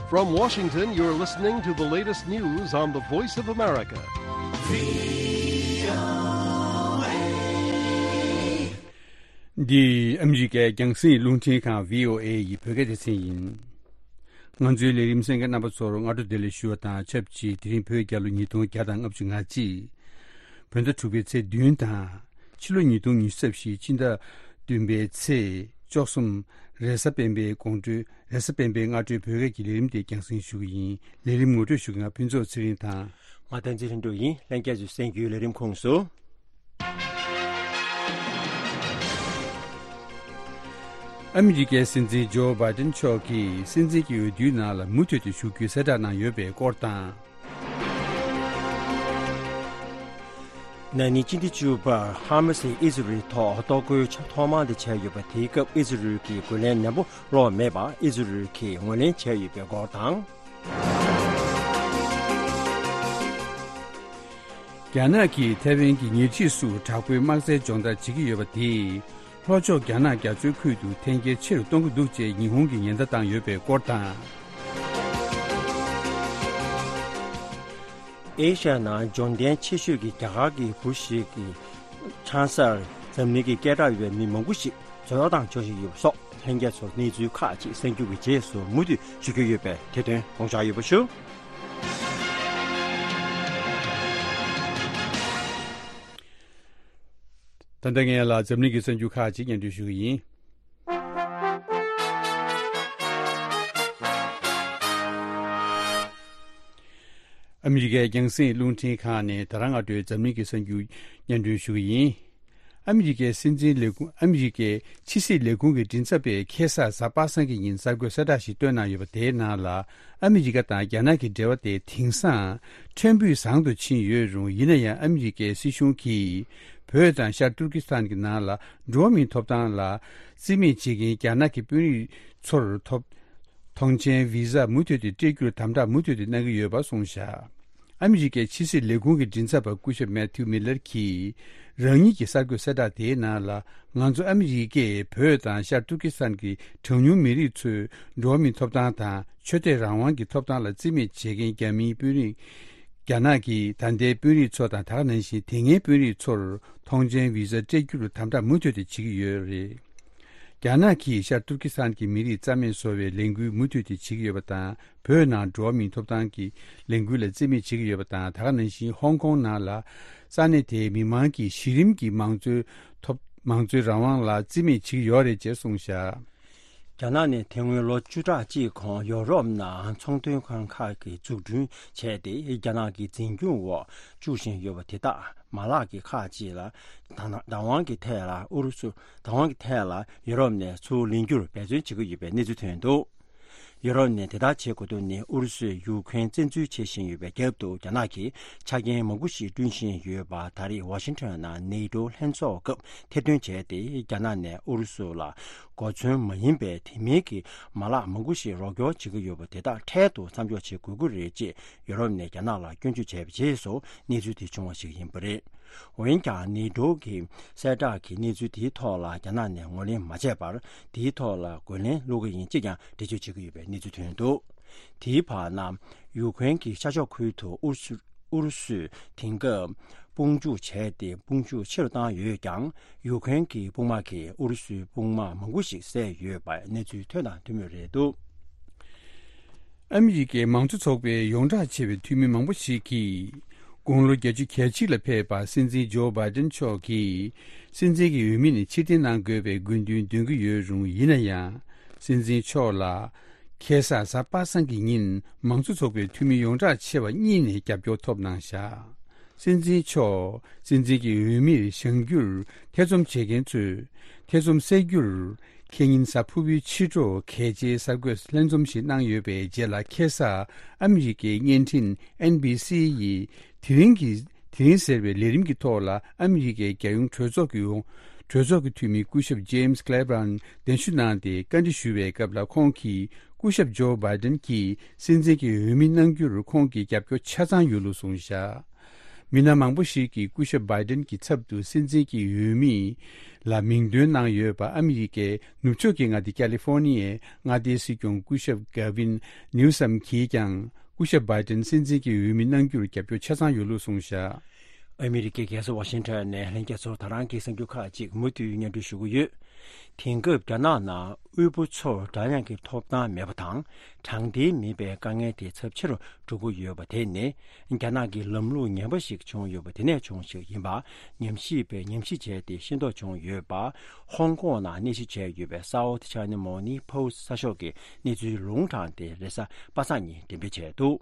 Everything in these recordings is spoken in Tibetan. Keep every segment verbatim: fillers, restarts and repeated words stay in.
From Washington, you're listening to the latest news on the Voice of America. འདི་ཨ་མི་རི་ཀའི་རྒྱང་སྲིང་རླུང་འཕྲིན་ཁང་བྷི་ཨོ་ཨེ་ཡི་བོད་སྐད་སྡེ་ཚན་ཡིན། ང་ཚོའི་ལས་རིམ་གསན་མཁན་རྣམ་པ་ཚོར་སྔ་དྲོ་བདེ་ལེགས་ཞུ་བ་དང་ཆབས་ཅིག་དེ་རིང་བོད་རྒྱལ་ལོ་ཉིས་སྟོང་བརྒྱ་དང་ལྔ་བཅུ་ང་གཅིག་བོད་ཟླ་དྲུག་པའི་ཚེས་བདུན་དང་། ཕྱི་ལོ་ཉིས་སྟོང་ཉི་ཤུ་རྩ་བཞི་སྤྱི་ཟླ་བདུན་པའི་ཚེས་བཅུ་གསུམ། རེས་གཟའ་སྤེན་པའི་དགོང་དྲོའི་རེས་གཟའ་སྤེན་པའི་སྔ་དྲོའི་བོད་སྐད་ཀྱི་ལས་རིམ་དེ་རྒྱང་སྲིང་ཞུ་གི་ཡིན། ལས་རིམ་ངོ་སྤྲོད་ཞུ་མཁན་ང་ཕུན་ཚོགས་ཚེ་རིང་དང་། ང་བསྟན་འཛིན་ལྷུན་གྲུབ་ཡིན། ལྷན་རྒྱས་ཚོས་གསན་རྒྱུའི་ལས་རིམ་ཁོངས་སུ། ཨ་མི་རི་ཀའི་སྲིད་འཛིན་ཇོ་བྷའི་ཏིན་མཆོག་གིས་སྲིད་འཛིན་གྱི་འོས་བསྡུའི་ནང་ལ་མུ་མཐུད་དུ་ཞུགས་རྒྱུའི་གསལ་བསྒྲགས་གནང་ཡོད་པའི་སྐོར་དང་། ན་ནིང་སྤྱི་ཟླ་བཅུ་པར་ཧ་མ་སིས་ཨི་ཟི་རེལ་ཐོག་གཏོར་རྒོལ་ཐོག་མ་དེ་བྱས་ཡོད་པ་དེའི་སྐབས་ཨི་ཟི་རེལ་གྱིས་རྒོལ་ལན་ནན་པོ་སློག་མེད་པར་ཨི་ཟི་རེལ་གྱིས་ངོས་ལེན་བྱས་ཡོད་པའི་སྐོར་དང་། རྒྱ་ནག་གིས་ཐའེ་ཝན་གྱི་ཉེ་འཁྲིས་སུ་དྲག་པོའི་དམག་རྩལ་སྦྱོང་བརྡར་བྱེད་ཀྱི་ཡོད་པ་དེས། ལྷོ་ཕྱོགས་རྒྱ་ནག་རྒྱ་མཚོའི་ཁུལ་དུ་འཐེན་འཁྱེར་ཆེ་རུ་གཏོང་གི་འདུག་ཅེས་ཉི་ཧོང་གིས་ཉེན་བརྡ་བཏང་ཡོད་པའི་སྐོར་དང་། ཨེ་ཤ་ཡ་ནང་འབྱོར་ལྡན་ཆེ་ཤོས་ཀྱི་རྒྱ་གར་གྱི་བུ་ཞིག་གི་ཆང་སར་འཛམ་གླིང་གི་སྐད་གྲགས་ཡོད་པའི་མི་མང་པོ་ཞིག་འཛོམས་གཏམ་འཇོག་བཞིན་ཡོད་པ་སོགས་ལྷན་རྒྱས་ཚོར་གནས་ཚུལ་ཁག་ཅིག་གསན་རྒྱུ་གི་རྗེས་སུ་མུ་མཐུད་ཞུ་རྒྱུ་ཡོད་པས་དེ་དོན་དགོངས་འཇགས་ཡོད་པ་ཞུ། ད་ལྟ་ངས་ལ་འཛམ་གླིང་གི་གསར་འགྱུར་ཁག་ཅིག་སྙན་སྒྲོན་ཞུ་གི་ཡིན། ཨ་མི་རི་ཀའི་རྒྱང་སྲིང་རླུང་འཕྲིན་ཁང་ནས་ད་རང་སྔ་དྲོའི་འཛམ་གླིང་གི་གསར་འགྱུར་སྙན་སྒྲོན་ཞུ་གི་ཡིན། ཨ་མི་རི་ཀའི་སྲིད་འཛིན་ལས་ཁུངས། ཨ་མི་རི་ཀའི་ཕྱི་སྲིད་ལས་ཁུངས་ཀྱི་མགྲིན་ཚབ་པས་ཁ་སང་གཟའ་པ་སངས་ཀྱི་ཉིན་གསར་འགོད་གསལ་བསྒྲགས་ཤིག་བཏོན་གནང་ཡོད་པ་དེའི་ནང་ལ། ཨ་མི་རི་ཀ་དང་རྒྱ་ནག་གི་འབྲེལ་བ་དེ་དེང་སང་ཕྲན་བུ་བཟང་དུ་ཕྱིན་ཡོད་རུང་། ཡིན་ན་ཡང་ཨ་མི་རི་ཀའི་སྲིད་གཞུང་གིས་བོད་དང་ཤར་ཏུར་ཀི་སི་ཐན་གྱི་ནང་ལ་འགྲོ་བ་མིའི་ཐོབ་ཐང་ལ་རྩིས་མེད་བྱེད་མཁན་རྒྱ་ནག་གི་དཔོན་རིགས་ཚོར་ཐོབ། ཐོངས་མཆན་བི་ཟ་མུ་མཐུད་དུ་སྤྲད་རྒྱུར་དམ་དྲག་མུ་མཐུད་དུ་གནང་གི་ཡོད་པ་གསུངས་བཞག་ཨ་མི་རི་ཀའི་ཕྱི་སྲིད་ལས་ཁུངས་ཀྱི་མགྲིན་ཚབ་པ་སྐུ་ཞབས་མེ་ཐིའུ་མི་ལར་གྱིས་རང་ཉིད་ཀྱི་གསར་འགོད་གསལ་བསྒྲགས་དེའི་ནང་ལ། ང་ཚོ་ཨ་མི་རི་ཀས་བོད་དང་ཤར་ཏུར་ཀི་སི་ཐན་གྱི་གྲངས་ཉུང་མི་རིགས་ཚོའི་འགྲོ་བ་མིའི་ཐོབ་ཐང་དང་ཆོས་དད་རང་དབང་གི་ཐོབ་ཐང་ལ་རྩིས་མེད་བྱེད་མཁན་རྒྱ་མིའི་དཔོན་རིགས། རྒྱ་ནག་གིས་ད་ལྟའི་དཔོན་རིགས་ཚོ་དང་ད་ག་ནང་བཞིན་དེ་སྔའི་དཔོན་རིགས་ཚོར་ཐོངས་མཆན་བི་ཟ་སྤྲད་རྒྱུར་དམ་དྲག་མུ་མཐུད་དུ་བྱེད་ཀྱི་ཡོད་རེད། རྒྱ་ནག་གིས་ཤར་ཏུར་ཀི་སི་ཐན་གྱི་མི་རིགས་རྩ་མེད་བཟོ་བའི་ལས་འགུལ་མུ་མཐུད་དེ་བྱེད་ཀྱི་ཡོད་པ་དང་། བོད་ནང་འགྲོ་བ་མིའི་ཐོབ་ཐང་གི་ལས་འགུལ་ལ་རྩིས་མེད་བྱེད་ཀྱི་ཡོད་པ་དང་། ད་ག་ནང་བཞིན་ཧོང་ཀོང་ནང་ལ་ས་གནས་དེའི་མི་མང་གི་གཞི་རིམ་གྱི་མང་གཙོའི་ཐོབ་མང་གཙོའི་རང་དབང་ལ་རྩིས་མེད་བྱེད་ཀྱི་ཡོད་རེད་ཅེས་གསུངས་བཞག་རྒྱ་ནག་ནས་དེ་སྔོན་ལོ་བཅུ་ཕྲག་གཅིག་གོང་ཡོ་རོབ་ནང་ཚོང་དོན་ཁང་ཁག་གི་འཛུགས་སྐྲུན་བྱས་ཏེ། རྒྱ་ནག་གི་འཛིན་སྐྱོང་འོག་བཅུག་བཞིན་ཡོད་པ་དེ་དག་མ་ལག་གི་ཁག་ཅིག་ལ་བདག་བདག་དབང་གི་ཐད་ལ་ཨུ་རུ་སུ་བདག་དབང་གི་ཐད་ལ་ཡོ་རོབ་ནས་ཚུར་ལེན་རྒྱུར་འབད་བརྩོན་བྱེད་ཀྱི་ཡོད་པའི་གནས་ཚུལ་ཐོན་འདུག་ཡོ་རོབ་ནས་དེ་ལྟར་བྱེད་དགོས་དོན་ནི་ཨུ་རུ་སུས་ཡུ་ཁུ་རེན་བཙན་འཛུལ་བྱེད་བཞིན་ཡོད་པའི་རྒྱབ་ཏུ། རྒྱ་ནག་གིས་ཆ་རྐྱེན་མང་པོ་ཞིག་བསྐྲུན་བཞིན་ཡོད་པ། ད་རེས་ཝ་ཤིང་ཊོན་ནང་ནེ་ཏོ་ལྷན་ཚོགས་སྐབས་ཐེར་འདོན་བྱས་ཏེ། རྒྱ་ནག་ནས་ཨུ་རུ་སུ་ལ་གོ་མཚོན་མ་ཡིན་པའི་དེ་མིན་གྱི་མ་ལག་མང་པོ་ཞིག་རོགས་སྐྱོར་བྱེད་ཀྱི་ཡོད་པ་དེ་དག་འཕྲལ་དུ་མཚམས་འཇོག་བྱེད་དགོས་ཀྱི་རེད་ཅེས་ཡོ་རོབ་ནས་རྒྱ་ནག་ལ་སྐྱོན་བརྗོད་བྱས་པའི་རྗེས་སུ་གནས་ཚུལ་དེ་བྱུང་བ་ཞིག་ཡིན་པ་རེད། འོན་ཀྱང་ནེ་ཏོ་གི་གསལ་བསྒྲགས་ཀྱི་གནས་ཚུལ་དེའི་ཐོག་ལ་རྒྱ་ནག་ནས་ངོས་ལེན་མ་བྱས་པར། དེའི་ཐོག་ལ་རྒོལ་ལན་སློག་གི་ཡིན་ཅེས་ཀྱང་འགྲེལ་བརྗོད་བྱེད་ཀྱི་ཡོད་པའི་གནས་ཚུལ་ཐོན་འདུག་དེའི་བར་ན། ཡུ་ཁུ་རེན་གྱི་ཤར་ཕྱོགས་ཁུལ་དུ་ཨུ་རུ་སུ་ཨུ་རུ་སུས་དེང་སྐབས་དཔུང་འཇུག་བྱས་ཏེ། དཔུང་འཇུག་ཆེ་རུ་བཏང་ཡོད་ཀྱང་། ཡུ་ཁུ་རེན་གྱི་དཔུང་དམག་གིས་ཨུ་རུ་སུའི་དཔུང་དམག་མང་པོ་ཞིག་བསད་ཡོད་པའི་གནས་ཚུལ་ཐོན་དང་ཐོན་མུས་རེད་འདུག་ཨ་མི་རི་ཀའི་མང་གཙོ་ཚོགས་པའི་ཡོངས་གྲགས་ཆེ་བའི་འཐུས་མི་མང་པོ་ཞིག་གིས། དགུང་ལོ་བརྒྱད་ཅུ་གྱ་གཅིག་ལ་ཕེབས་པ་སྲིད་འཛིན་ཇོ་བྷའི་ཏིན་མཆོག་གིས། སྲིད་འཛིན་གྱི་འོས་མི་ནས་ཕྱིར་འཐེན་གནང་དགོས་པའི་དགོས་འདུན་འདོན་གྱི་ཡོད་རུང་། ཡིན་ན་ཡང་། སྲིད་འཛིན་མཆོག་ལ། ཁ་སང་གཟའ་པ་སངས་ཀྱི་ཉིན་མང་གཙོ་ཚོགས་པའི་འཐུས་མི་ཡོངས་གྲགས་ཆེ་བ་གཉིས་ནས་རྒྱབ་སྐྱོར་ཐོབ་གནང་བཞག་སྲིད་འཛིན་མཆོག་སྲིད་འཛིན་གྱི་འོས་མིར་བཞེངས་རྒྱུར་ཐེ་ཚོམ་བྱེད་མཁན་ཚོས་ཐེ་ཚོམ་སེལ་རྒྱུར། ཁེ་ཉིན་གཟའ་ཕུར་བུའི་ཕྱི་དྲོ་གལ་ཆེའི་གསར་འགོད་ལྷན་འཛོམས་ཤིག་གནང་ཡོད་པའི་རྗེས་ལ། ཁ་སང་ཨ་མི་རི་ཀའི་བརྙན་འཕྲིན་ཨེན་བྷི་སི་ཡིས་དེ་རིང་གི་དེ་རིང་ཟེར་བའི་ལས་རིམ་གྱི་ཐོག་ལ། ཨ་མི་རི་ཀའི་རྒྱལ་ཡོངས་གྲོས་ཚོགས་ཀྱི་ཡོངས་གྲོས་ཚོགས་ཀྱི་འཐུས་མི་སྐུ་ཞབས་ཇེམ་སི་ཀླེ་བྷ་རན་གདན་ཞུ་གནང་སྟེ་བཀའ་འདྲི་ཞུ་བའི་སྐབས་ལ། ཁོང་གིས་སྐུ་ཞབས་ཇོ་བྷའི་ཏིན་གྱིས་སྲིད་འཛིན་གྱི་འོས་མི་གནང་རྒྱུར་ཁོང་གི་རྒྱབ་སྐྱོར་ཆ་ཚང་ཡོད་ལུགས་གསུངས་བཞག་མི་སྣ་མང་པོ་ཞིག་གིས་སྐུ་ཞབས་བྷའི་ཏིན་གྱི་ཚབ་ཏུ་སྲིད་འཛིན་གྱི་འོས་མི་ ལ་མིང་འདོན་གནང་ཡོད་པ། ཨ་མི་རི་ཀའི་ནུབ་ཕྱོགས་ཀྱི་མངའ་སྡེ་ཀ་ལི་ཧྥོ་ནི་ཡའི་མངའ་སྡེའི་སྲིད་སྐྱོང་སྐུ་ཞབས་གྷ་ཝིན་ནིའུ་སམ་གྱིས་ཀྱང་སྐུ་ཞབས་བྷའི་ཏན་སྲིད་འཛིན་གྱི་འོས་མི་གནང་རྒྱུར་རྒྱབ་སྐྱོར་ཆ་ཚང་ཡོད་ལུགས་གསུངས་བཞག། ཨ་མི་རི་ཀའི་རྒྱལ་ས་ཝ་ཤིང་ཊོན་ནས་ལྷན་རྒྱས་ཚོར་ད་རང་གི་གསར་འགྱུར་ཁག་ཅིག་མུ་མཐུད་སྙན་སྒྲོན་ཞུ་གི་ཡོད། དེང་སྐབས་རྒྱ་ནག་ནང་དབུལ་པོ་ཚོར་འདྲ་མཉམ་གྱི་ཐོབ་ཐང་མེད་པ་དང་། དྲང་བདེན་མེད་པའི་དཀའ་ངལ་དེ་ཚབས་ཆེ་རུ་འགྲོ་གི་ཡོད་པ་དེ་ནི། རྒྱ་ནག་གི་ལམ་ལུགས་ངན་པ་ཞིག་བྱུང་ཡོད་པ་དེ་ནས་བྱུང་ཞིག་ཡིན་པ། ཉམས་ཞིབ་པས་ཉམས་ཞིབ་བྱས་ཏེ་ཤེས་རྟོགས་བྱུང་ཡོད་པ། ཧོང་ཀོང་ནང་གནས་གཞི་བྱས་ཡོད་པའི་South China Morning Post གསར་ཤོག་གི་གནས་ཚུལ་ལུང་དྲངས་ཏེ་རེས་གཟའ་པ་སངས་ཉིན་འགྲེམས་སྤེལ་བྱས་འདུག།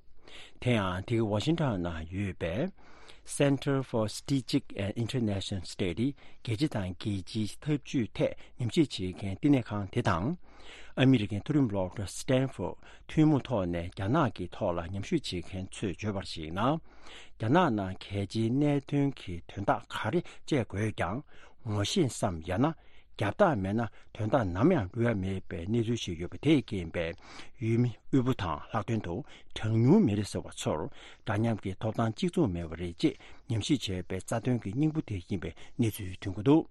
དེ་ཡང་དེ་ག་ཝ་ཤིང་ཊོན་ནང་ཡོད་པའི་Center for Strategic and International Study རྒྱལ་སྤྱི་དང་རྒྱལ་སྤྱིའི་འཐབ་ཇུས་ཐད་ཉམས་ཞིབ་བྱེད་མཁན་བསྟི་གནས་ཁང་དེ་དང་། ཨ་མི་རི་ཀའི་མཐོ་རིམ་སློབ་གྲྭ་Stanford ཐུན་མོང་ཐོག་ནས་རྒྱ་ནག་གི་ཐོག་ལ་ཉམས་ཞིབ་བྱེད་མཁན་ཚོས་བརྗོད་པར་གཞིགས་ན། རྒྱ་ནག་ནང་གལ་ཆེའི་གནད་དོན་གྱི་དོན་དག་ག་རེ་སྤྱད་དགོས་ཀྱང་ངོ་ཤེས་སམ། ཡང་ན་རྒྱབ་རྟགས་མེད་ན་དོན་དག་ནམ་ཡང་ལྷོད་ཡ་མེད་པའི་གནས་ཚུལ་ཞིག་ཡོད་པ་དེས་རྐྱེན་པས། འོས་མི་དབུལ་པོ་དང་ལྷག་དོན་དུ་གྲངས་ཉུང་མི་རིགས་ཟེར་བ་ཚོར་འདྲ་མཉམ་གྱི་ཐོབ་ཐང་གཅིག་མཚུངས་མེད་པ་རེད་ཅེས་ཉམས་ཞིབ་བྱས་པའི་རྩ་དོན་གྱི་སྙིང་པོ་དེ་ཡིན་པའི་གནས་ཚུལ་ཐོན་གྱི་འདུག།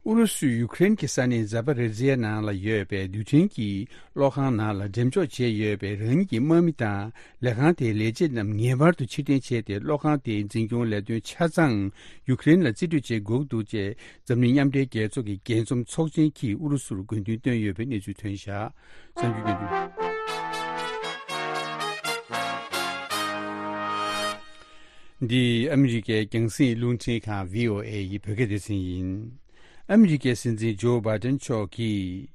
ཨུ་རུ་སུས་ཡུ་ཀེ་རེན་གྱི་ས་གནས་ཛ་པ་རི་ཛི་ཡ་ནང་ལ་ཡོད་པའི་རྡུལ་ཕྲན་གྱི་གློག་ཁང་ནང་ལ་འགྲེམས་འཇོག་བྱས་ཡོད་པའི་རང་ཉིད་ཀྱི་དམག་མི་དང་ལས་ཁང་དེའི་ལས་བྱེད་རྣམས་ངེས་པར་དུ་ཕྱིར་འཐེན་བྱས་ཏེ། གློག་ཁང་དེའི་འཛིན་སྐྱོང་ལས་དོན་ཆ་ཚང་ཡུ་ཀེ་རེན་ལ་རྩིས་སྤྲོད་བྱེད་དགོས་འདུག་ཅེས་འཛམ་གླིང་མཉམ་འབྲེལ་རྒྱལ་ཚོགས་ཀྱི་རྒྱས་འཛོམས་ཚོགས་ཆེན་གྱིས་ཨུ་རུ་སུར་དགོས་འདུན་བཏོན་ཡོད་པའི་གནས་ཚུལ་ཐོན་བཞག། གསར་འགྱུར་སྙན་སྒྲོན། འདི་ཨ་མི་རི་ཀའི་རྒྱང་སྲིང་རླུང་འཕྲིན་ཁང་བྷི་ཨོ་ཨེ་ཡི་བོད་སྐད་སྡེ་ཚན་ཡིན། ཨ་མི་རི་ཀའི་སྲིད་འཛིན་ཇོ་བྷའི་ཏན་མཆོག་གིས།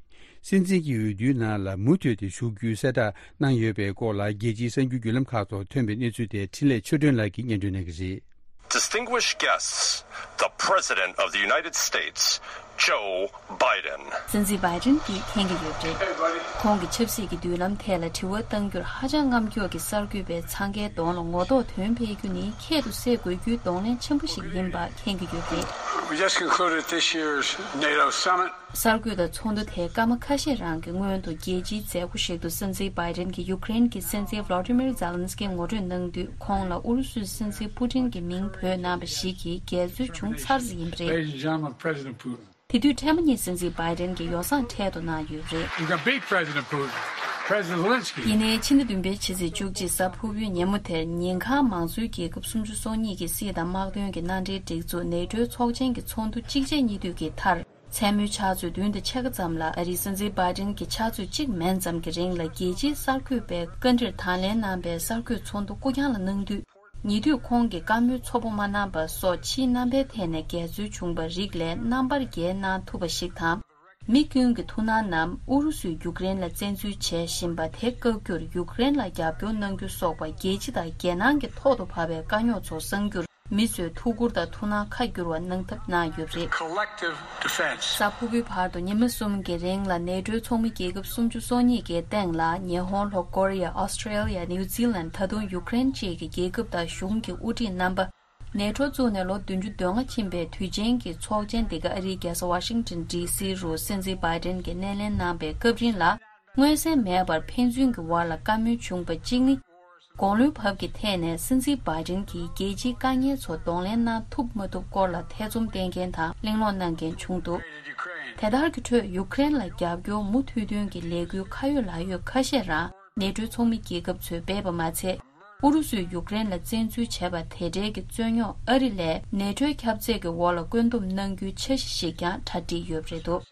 སྲིད་འཛིན་གྱི་འོས་བསྡུའི་ནང་ལ་མུ་མཐུད་དེ་ཞུགས་རྒྱུའི་གསལ་བསྒྲགས་གནང་ཡོད་པའི་སྐོར་ལ། རྒྱལ་སྤྱིའི་གསར་འགྱུར་བརྒྱུད་ལམ་ཁག་ཐོག་ཐོན་པའི་གནས་ཚུལ་དེ་འཕྲིན་ལས་ཆོས་སྒྲོན་ལགས་ཀྱིས་སྙན་སྒྲོན་གནང་གི་རེད། Distinguished guests, the President of the United States, Joe Biden. སྲིད་འཛིན་བྷའི་ཌེན་གྱིས་མཁྱེན་གྱི་ཡོད་པ་རེད། ཁོང་གི་ཆབ་སྲིད་ཀྱི་མདུན་ལམ་ཐད་ལ་དྲི་བ་གཏང་རྒྱུར་ཧ་ཅང་རྔམ་སྐྱོ་གི་གསར་འགོད་པས་འཚང་ཁའི་གདོང་ལ་ངོ་ཐོག་དོན་འཕེལ་རྒྱུ་ནི་ཁྱད་དུ་བསད་དགོས་རྒྱུའི་གདོང་ལེན་ཆེན་པོ་ཞིག་ཡིན་པ་མཁྱེན་གྱི་ཡོད་པ་རེད། We just concluded this year's NATO summit. གསར་འགོད་པ་ཚོགས་འདུ་དེ་སྐར་མ་ཁ་ཤས་རང་གི་སྔོན་དུ་རྒྱལ་སྤྱིའི་མཛད་སྒོ་ཞིག་ཏུ་སྲིད་འཛིན་བྷའི་ཌེན་གྱིས་ཡུ་ཀེ་རེན་གྱི་སྲིད་འཛིན་ཝ་ལོ་ཏི་མིར་ཛེ་ལན་སི་ཀི་ངོ་སྤྲོད་གནང་དུས། ཁོང་ལ་ཨུ་རུ་སུའི་སྲིད་འཛིན་པུ་ཏིན་གྱི་མིང་འབོད་གནང་བ་ཞིག་གིས་འགལ་འཛོལ་བྱུང་ཚར་ཟིན་པ་རེད། Ladies and gentlemen, President Putin. དེ་དུས་འཕྲལ་མ་ཉིད་སྲིད་འཛིན་བྷའི་ཌེན་གྱིས་ཡོ་བསྲང་འཕྲལ་དུ་གནང་ཡོད་པ་རེད། You can beat President Putin. President Zelensky. ཡིན་ནའི་ཕྱི་ཟླ་བདུན་པའི་ཕྱི་ཚེས་བཅུ་གཅིག་གཟའ་ཕུར་བུའི་ཉིན་མོ་དེར་ཉིན་གང་མང་གཙོའི་རྒྱལ་ཁབ་སུམ་ཅུ་སོ་གཉིས་ཀྱི་སྲིད་དང་དམག་དོན་གྱི་མནའ་འབྲེལ་སྒྲིག་འཛུགས་ནེ་ཊོའི་ཚོགས་ཆེན་གྱི་ཚོགས་འདུ་གཅིག་རྗེས་གཉིས་མཐུད་ཀྱི་མཐར། མཚན་མོའི་ཕྱག་ཚོད་བདུན་དང་ཕྱེད་ཀ་ཙམ་ལ་ཨ་རིའི་སྲིད་འཛིན་བྷའི་ཌེན་གྱིས་ཕྱག་ཚོད་གཅིག་མན་ཙམ་གྱི་རིང་ལ་རྒྱལ་སྤྱིའི་གསར་འགོད་པའི་བཀའ་འདྲིར་དང་ལེན་གནང་པའི་གསར་འགོད་ཚོགས་འདུ་ཀུ་ཀྱང་ལ་གནང་དུས། ཉེ་དུས་ཁོང་གིས་བཀའ་མོལ་ཚོ་པོ་མ་གནང་པ་སོགས་ཕྱིའི་རྣམ་པའི་ཐད་ནས་འགལ་འཛོལ་བྱུང་བ་རིགས་ལས་རྣམ་པར་རྒྱལ་གནང་ཐུབ་པ་ཞིག་དང་། མི་ཀུན་གྱི་ཐུགས་སྣང་རྣམས་ཨུ་རུ་སུས་ཡུཀ་རེན་ལ་བཙན་འཛུལ་བྱེད་བཞིན་པ་དེ་བཀག་རྒྱུར་ཡུཀ་རེན་ལ་རྒྱབ་སྐྱོར་གནང་རྒྱུ་སོགས་པ་རྒྱལ་སྤྱི་དང་རྒྱལ་ནང་གི་ཐོག་ཏུ་བབས་པའི་དཀའ་རྙོག་ཚོ་སངས་རྒྱུར། མི་ཚོས་ཐུགས་ཁུར་དང་ཐུགས་སྣང་ཁ་བསྒྱུར་བ་གནང་ཐབས་གནང་ཡོད་པ་རེད། Collective defense. གཟའ་ཕུར་བུའི་བར་དུ་ཉི་མ་གསུམ་གྱི་རིང་ལ་ནེ་ཊོའི་ཚོགས་མི་རྒྱལ་ཁབ་སུམ་ཅུ་སོ་གཉིས་ཀྱི་སྟེང་ལ་ཉི་ཧོང་། ལྷོ་ཀོ་རི་ཡ། ཨོ་སི་ཀྲེ་ལི་ཡ། ནིའུ་ཛི་ལན། ད་དུང་ཡུཀ་རེན་བཅས་ཀྱི་རྒྱལ་ཁབ་དང་གཞུང་གི་དབུ་ཁྲིད་རྣམ་པ། ནེ་ཊོ་བཙུགས་ནས་ལོ་བདུན་ཅུ་དོན་ལྔ་ཕྱིན་པའི་དུས་ཆེན་གྱི་ཚོགས་ཆེན་འདི་ག་ཨ་རིའི་རྒྱལ་ས་ཝ་ཤིང་ཊོན་ཌི་སི་རུ་སྲིད་འཛིན་བྷའི་ཌེན་གྱིས་སྣེ་ལེན་གནང་པའི་སྐབས་རིང་ལ། མངོན་གསལ་མེད་པར་ཕན་ཚུན་གྱི་བར་ལ་བཀའ་མོལ་བྱུང་བ་གཅིག་ནི། དགུང་ལོའི་བབ་ཀྱི་ཐད་ནས་སྲིད་འཛིན་བྷའི་ཌེན་གྱིས་རྒྱལ་སྤྱིའི་དཀའ་ངལ་ཚོ་གདོང་ལེན་གནང་ཐུབ་མ་ཐུབ་སྐོར་ལ་ཐེ་ཚོམ་བསྟེན་མཁན་དང་གླེང་སློང་གནང་མཁན་བྱུང་འདུག། དེ་ལྟར་གྱི་ཁྲོད་ཡུཀ་རེན་ལ་རྒྱབ་སྐྱོར་མུ་མཐུད་འདོན་གྱི་ལས་འགུལ་ཁ་ཡོད་ལག་ཡོད་ཁ་ཤས་རང་ནེ་ཊོའི་ཚོགས་མི་རྒྱལ་ཁབ་ཚོས་སྤེལ་བ་མ་ཚད། ཨུ་རུ་སུས་ཡུཀ་རེན་ལ་བཙན་འཛུལ་བྱས་པ་དེ་འབྲེལ་གྱི་རྩོད་རྙོག་ཨ་རི་ལས་ནེ་ཊོའི་ཁྱབ་ཚད་ཀྱི་འོག་ལ་བཀོད་འདོམས་གནང་རྒྱུའི་འཆར་གཞི་ཞིག་ཀྱང་གྲ་སྒྲིག་ཡོད་པ་རེད་འདུག།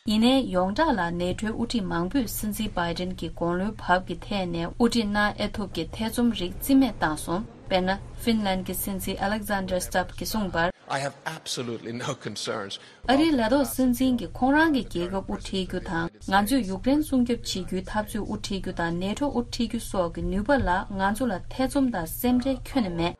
ཡིན་ནའི་ཡོངས་གྲགས་ལ་ནེ་ཊོའི་དབུ་ཁྲིད་མང་པོས་སྲིད་འཛིན་བྷའི་ཌེན་གྱི་དགུང་ལོའི་བབ་ཀྱི་ཐད་ནས་དབུ་ཁྲིད་གནང་ཨེ་ཐུབ་ཀྱི་ཐེ་ཚོམ་རིགས་རྩིས་མེད་བཏང་སོང་། དཔེར་ན། ཧྥིན་ལན་གྱི་སྲིད་འཛིན་ཨ་ལེག་ཛན་ཌར་སྟབ་ཀྱིས་གསུངས་པར། I have absolutely no concerns. ཨ་རིའི་ལས་ཐོག་སྲིད་འཛིན་གྱིས་ཁོང་རང་གི་རྒྱལ་ཁབ་དབུ་ཁྲིད་རྒྱུ་དང་། ང་ཚོས་ཡུཀ་རེན་སྲུང་སྐྱོབ་བྱེད་རྒྱུའི་འཐབ་རྩོད་དབུ་ཁྲིད་རྒྱུ་དང་ནེ་ཊོ་དབུ་ཁྲིད་རྒྱུ་སོགས་ཀྱི་ནུས་པ་ལ་ང་ཚོ་ལ་ཐེ་ཚོམ་དང་སེམས་ཁྲལ་ཁྱོན་ནས་མེད།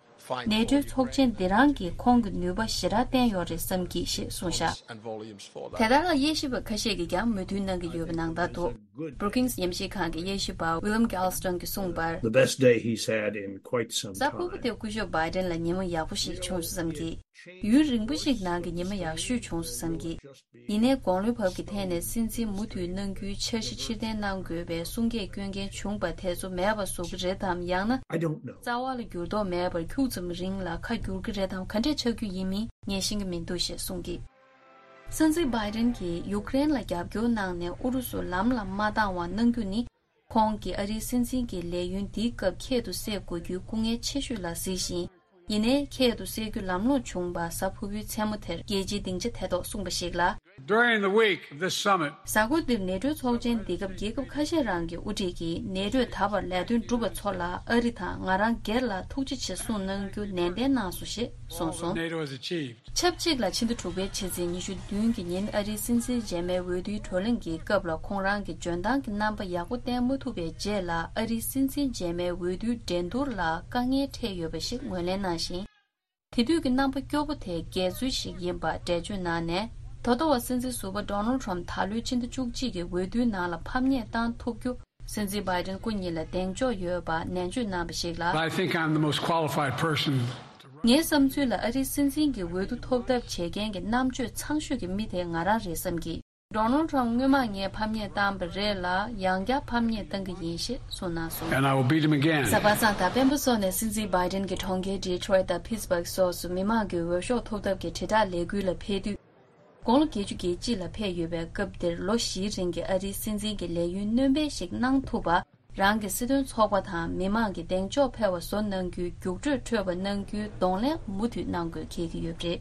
ནེ་ཊོའི་ཚོགས་ཆེན་འདི་རང་གིས་ཁོང་གི་ནུས་པ་ཞེ་དྲག་བསྟན་ཡོད་རེད་བསམ་གྱིས་ཞེས་གསུངས་བཞག། དེ་ལྟར་ལ་དབྱེ་ཞིབ་པ་ཁ་ཤས་ཀྱིས་ཀྱང་མོས་མཐུན་གནང་གི་ཡོད་པ་ནང་ལྟར་འདུག། Brookings ཉམས་ཞིབ་ཁང་གི་དབྱེ་ཞིབ་པ་William Galston གྱིས་གསུངས་པར། The best day he's had in quite some time. གཟའ་ཕུར་བུ་དེ་སྐུ་ཞབས་བྷའི་ཌེན་ལ་ཉི་མ་ཡག་པོ་ཞིག་བྱུང་སོང་བསམ་གྱིས། ཡུན་རིང་པོ་ཞིག་ནང་གི་ཉི་མ་ཡག་ཤོས་བྱུང་སོང་བསམ་གྱིས། ཡིན་ནའི་དགུང་ལོའི་བབ་ཀྱི་ཐད་ནས་སྲིད་འཛིན་མུ་མཐུད་གནང་རྒྱུའི་འཆར་གཞི་ཕྱིར་འཐེན་གནང་དགོས་པའི་གསུང་སྐད་སྐྱོན་མཁན་བྱུང་བ་དེ་ཚོ་མེད་པ་བཟོ་གི་རེད་དམ། ཡང་ན། I don't know. རྩ་བ་ལ་འགྱུར་ལྡོག་མེད་པར་ཁྱུག་ཙམ་རིང་ལ་ཁ་འགྱུར་གྱི་རེད་དམ། ག་འདྲས་ཆགས་རྒྱུ་ཡིན་མིན་ངས་ཤེས་ཀྱི་མི་འདུག་ཞེས་གསུངས་ཀྱིས། སྲིད་འཛིན་བྷའི་ཏིན་གྱིས་ཡུཀ་རེན་ལ་རྒྱབ་སྐྱོར་གནང་ནས་ཨུ་རུ་སུ་ལམ་ལ་མ་བཏང་བ་གནང་རྒྱུ་ནི། ཁོང་གིས་ཨ་རིའི་སྲིད་འཛིན་གྱི་ལས་ཡུན་འདིའི་སྐབས་ཁྱད་དུ་བསད་དགོས་རྒྱུའི་སྐུ་ངལ་ཆེ་ཤོས་ལ་གཟིགས་ཤིང་། ཡིན་ནའི་ཁྱད་དུ་བསད་རྒྱུ་ལམ་ལྷོང་བྱུང་བ་གཟའ་ཕུར་བུའི་མཚན་མོ་དེར་རྒྱལ་སྤྱིའི་སྡིངས་ཆ་དེ་ཐོག་གསུངས་པ་ཞིག་ལ། During the week of this summit, གཟའ་འཁོར་འདིར་ནེ་ཊོའི་ཚོགས་ཆེན་འདི་སྐབས་རྒྱལ་ཁབ་ཁ་ཤས་རང་གི་དབུ་ཁྲིད་ཀྱིས་ནེ་ཊོས་ད་བར་ལས་དོན་བསྒྲུབས་པ་ཚོ་ལ་ཨ་རི་དང་ང་རང་སྒེར་ལ་ཐུགས་རྗེ་ཆེ་གསུངས་གནང་རྒྱུ་ནན་ཏན་གནང་སོང་ཞེས་གསུངས་སོང་། NATO has achieved. ཆབས་ཅིག་ལ་ཕྱི་ཟླ་དྲུག་པའི་ཕྱི་ཚེས་ཉི་ཤུ་བདུན་གྱི་ཉིན་ཨ་རིའི་སྲིད་འཛིན་རྗེས་མའི་འོས་བསྡུའི་བགྲོ་གླེང་གི་སྐབས་ལ་ཁོང་རང་གི་འཇོན་ཐང་གི་རྣམ་པ་ཡག་པོ་བསྟན་མ་ཐུབ་པའི་རྗེས་ལ་ཨ་རིའི་སྲིད་འཛིན་རྗེས་མའི་འོས་བསྡུའི་འགྲན་བསྡུར་ལ་དཀའ་ངལ་འཕྲད་ཡོད་པ་ཞིག་ངོས་ལེན་གནང་ཞིང་། དེ་དུས་ཀྱི་རྣམ་པ་སྐྱོ་པོ་དེ་འགལ་འཛོལ་ཞིག་ཡིན་པ་འགྲེལ་བརྗོད་གནང་ནས། ད་ལྟ་བར་སྲིད་འཛིན་ཟུར་པ་Donald Trump ད་ལོའི་ཕྱི་ཟླ་བཅུ་གཅིག་གི་འོས་བསྡུའི་ནང་ལ་ཕམ་ཉེས་བཏང་ཐུབ་རྒྱུ། སྲིད་འཛིན་བྷའི་ཏིན་སྐུ་ཉིད་ལ་གདེང་འཇོག་ཡོད་པ་ནན་བརྗོད་གནང་བ་ཞིག་ལ། I think I'm the most qualified person to run. ངའི་བསམ་ཚུལ་ལ་ཨ་རིའི་སྲིད་འཛིན་གྱི་འོས་བསྡུ་ཐོབ་ཐབས་བྱེད་མཁན་གྱི་རྣམ་དཔྱོད་ཚང་ཤོས་ཀྱི་མི་དེ་ང་རང་རེད་བསམ་གྱི། Donald Trump སྔོན་མ་ངས་ཕམ་ཉེས་བཏང་བ་རེད་ལ་ཡང་བསྐྱར་ཕམ་ཉེས་བཏང་གི་ཡིན་ཞེས་གསུངས་གནང་སོང་། And I will beat him again. གཟའ་པ་སངས་དང་སྤེན་པ་སོགས་ནས་སྲིད་འཛིན་བྷའི་ཏིན་གྱི་གྲོང་ཁྱེར་Detroit དང་Pittsburgh སོགས་སུ་མི་མང་གི་འོས་ཤོག་ཐོབ་ཐབས་ཀྱི་དྲིལ་བསྒྲགས་ལས་འགུལ་ལ་ཕེབས་དུས། དགུང་ལོ་བརྒྱད་ཅུ་གྱ་གཅིག་ལ་ཕེབས་ཡོད་པའི་སྐབས་འདིར་ལོ་བཞིའི་རིང་གི་ཨ་རིའི་སྲིད་འཛིན་གྱི་ལས་ཡུན་སྣོན་སྤེལ་ཞིག་གནང་ཐུབ་པ། རང་གི་སྲིད་དོན་ཚོགས་པ་དང་མི་མང་གི་གདེང་འཇོག་འཕེར་བ་བཟོ་གནང་རྒྱུའི་རྒྱུགས་སྤྲོད་འཕྲོད་པ་གནང་རྒྱུའི་གདོང་ལེན་མུ་མཐུད་གནང་དགོས་འཁེལ་གྱི་ཡོད་པ་རེད།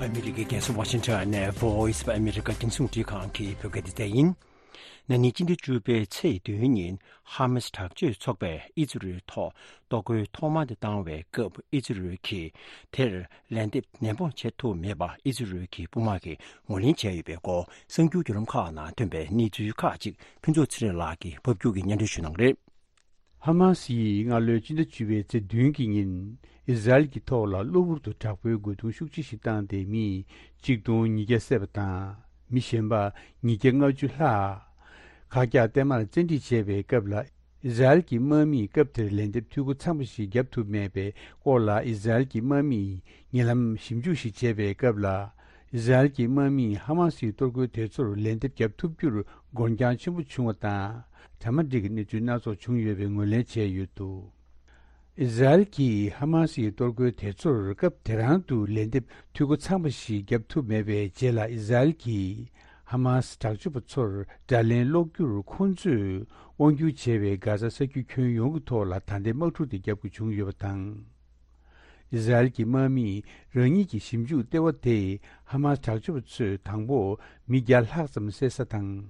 ཨ་མི་རི་ཀའི་རྒྱལ་ས་ཝ་ཤིང་ཊོན་ནས་Voice of America རྒྱང་སྲིང་རླུང་འཕྲིན་ཁང་གི་བོད་སྐད་སྡེ་ཚན་ཡིན། ན་ནིང་སྤྱི་ཟླ་བཅུ་པའི་ཚེས་བདུན་ཉིན་ཧ་མ་སི་དྲག་སྤྱོད་ཚོགས་པས་ཨི་ཛི་རལ་ཐོག་གཏོར་རྒོལ་ཐོག་མ་དེ་བཏང་བའི་སྐབས་ཨི་ཛི་རལ་གྱིས་དེར་ལན་འདེབས་ནན་པོ་བྱེད་ཐུབ་མེད་པ་ཨི་ཛི་རལ་གྱི་དཔུང་དམག་གིས་ངོས་ལེན་བྱས་ཡོད་པའི་སྐོར་གསར་འགྱུར་བརྒྱུད་ལམ་ཁག་ནང་ཐོན་པའི་གནས་ཚུལ་ཁག་ཅིག་ཕུན་ཚོགས་ཚེ་རིང་ལགས་ཀྱིས་ཕབ་སྒྱུར་གྱིས་སྙན་སྒྲོན་ཞུ་གནང་རེད། ཧ་མ་སི་ཡིས་སྔ་ལོའི་སྤྱི་ཟླ་བཅུ་པའི་ཚེས་བདུན་གྱི་ཉིན་ཨི་ཟ་རེལ་གྱི་ཐོག་ལ་གློ་བུར་དུ་དྲག་པོའི་རྒོལ་རྡུང་ཤུགས་ཆེ་ཞིག་བཏང་སྟེ་མི་གཅིག་སྟོང་ཉིས་བརྒྱ་བསད་པ་དང་། མི་གཞན་པ་ཉིས་བརྒྱ་ལྔ་བཅུ་ལྷག་ཁག་རྒྱག་བརྟན་མར་བཙན་ཁྲིད་བྱས་པའི་སྐབས་ལ། ཨི་ཟ་རེལ་གྱི་དམག་མིས་སྐབས་དེར་ལན་འདེབས་འཐུས་སྒོ་ཚང་བ་ཞིག་བརྒྱབ་ཐུབ་མེད་པའི་སྐོར་ལ། ཨི་ཟ་རེལ་གྱི་དམག་མིས་ཉེ་ལམ་ཞིབ་འཇུག་ཞིག་བྱས་པའི་སྐབས་ལ། ཨི་ཟ་རེལ་གྱི་དམག་མིས་ཧ་མ་སིའི་གཏོར་རྒོལ་དེ་ཚོར་ལན་འདེབས་བརྒྱབ་ཐུབ་རྒྱུར་འགོར་འགྱངས་ཆེན་པོ་བྱུང་བ་དང་། གྲ་མ་འགྲིག་གི་གནས་ཚུལ་སྣ་ཚོགས་བྱུང་ཡོད་པའི་ངོས་ལེན་བྱས་ཡོད་འདུག་ཨི་ཟ་རེལ་གྱིས་ཧ་མ་སིའི་གཏོར་རྒོལ་དེ་ཚོར་སྐབས་དེ་རང་དུ་ལན་འདེབས་འཐུས་སྒོ་ཚང་བ་ཞིག་བརྒྱབ་ཐུབ་མེད་པའི་རྗེས་ལ། ཨི་ཟ་རེལ་གྱིས་ཧ་མ་སི་དྲག་སྤྱོད་པ་ཚོར་དགྲ་ལན་སློག་རྒྱུར་ཁོང་ཚོས་དབང་སྒྱུར་བྱས་པའི་གྷ་ཟ་ས་རྒྱུད་ཁྱོན་ཡོངས་ཀྱི་ཐོག་ལ་ད་ལྟའི་དམག་འཁྲུག་དེ་བརྒྱབ་དགོས་བྱུང་ཡོད་པ་དང་། ཨི་ཟ་རེལ་གྱི་དམག་མིས་རང་ཉིད་ཀྱི་ཞིབ་འཇུག་ལྟེ་བ་དེ་ཧ་མ་སི་དྲག་སྤྱོད་པ་ཚོས་དང་པོ་མི་བརྒྱ་ལྷག་ཙམ་བསད་ས་དང་།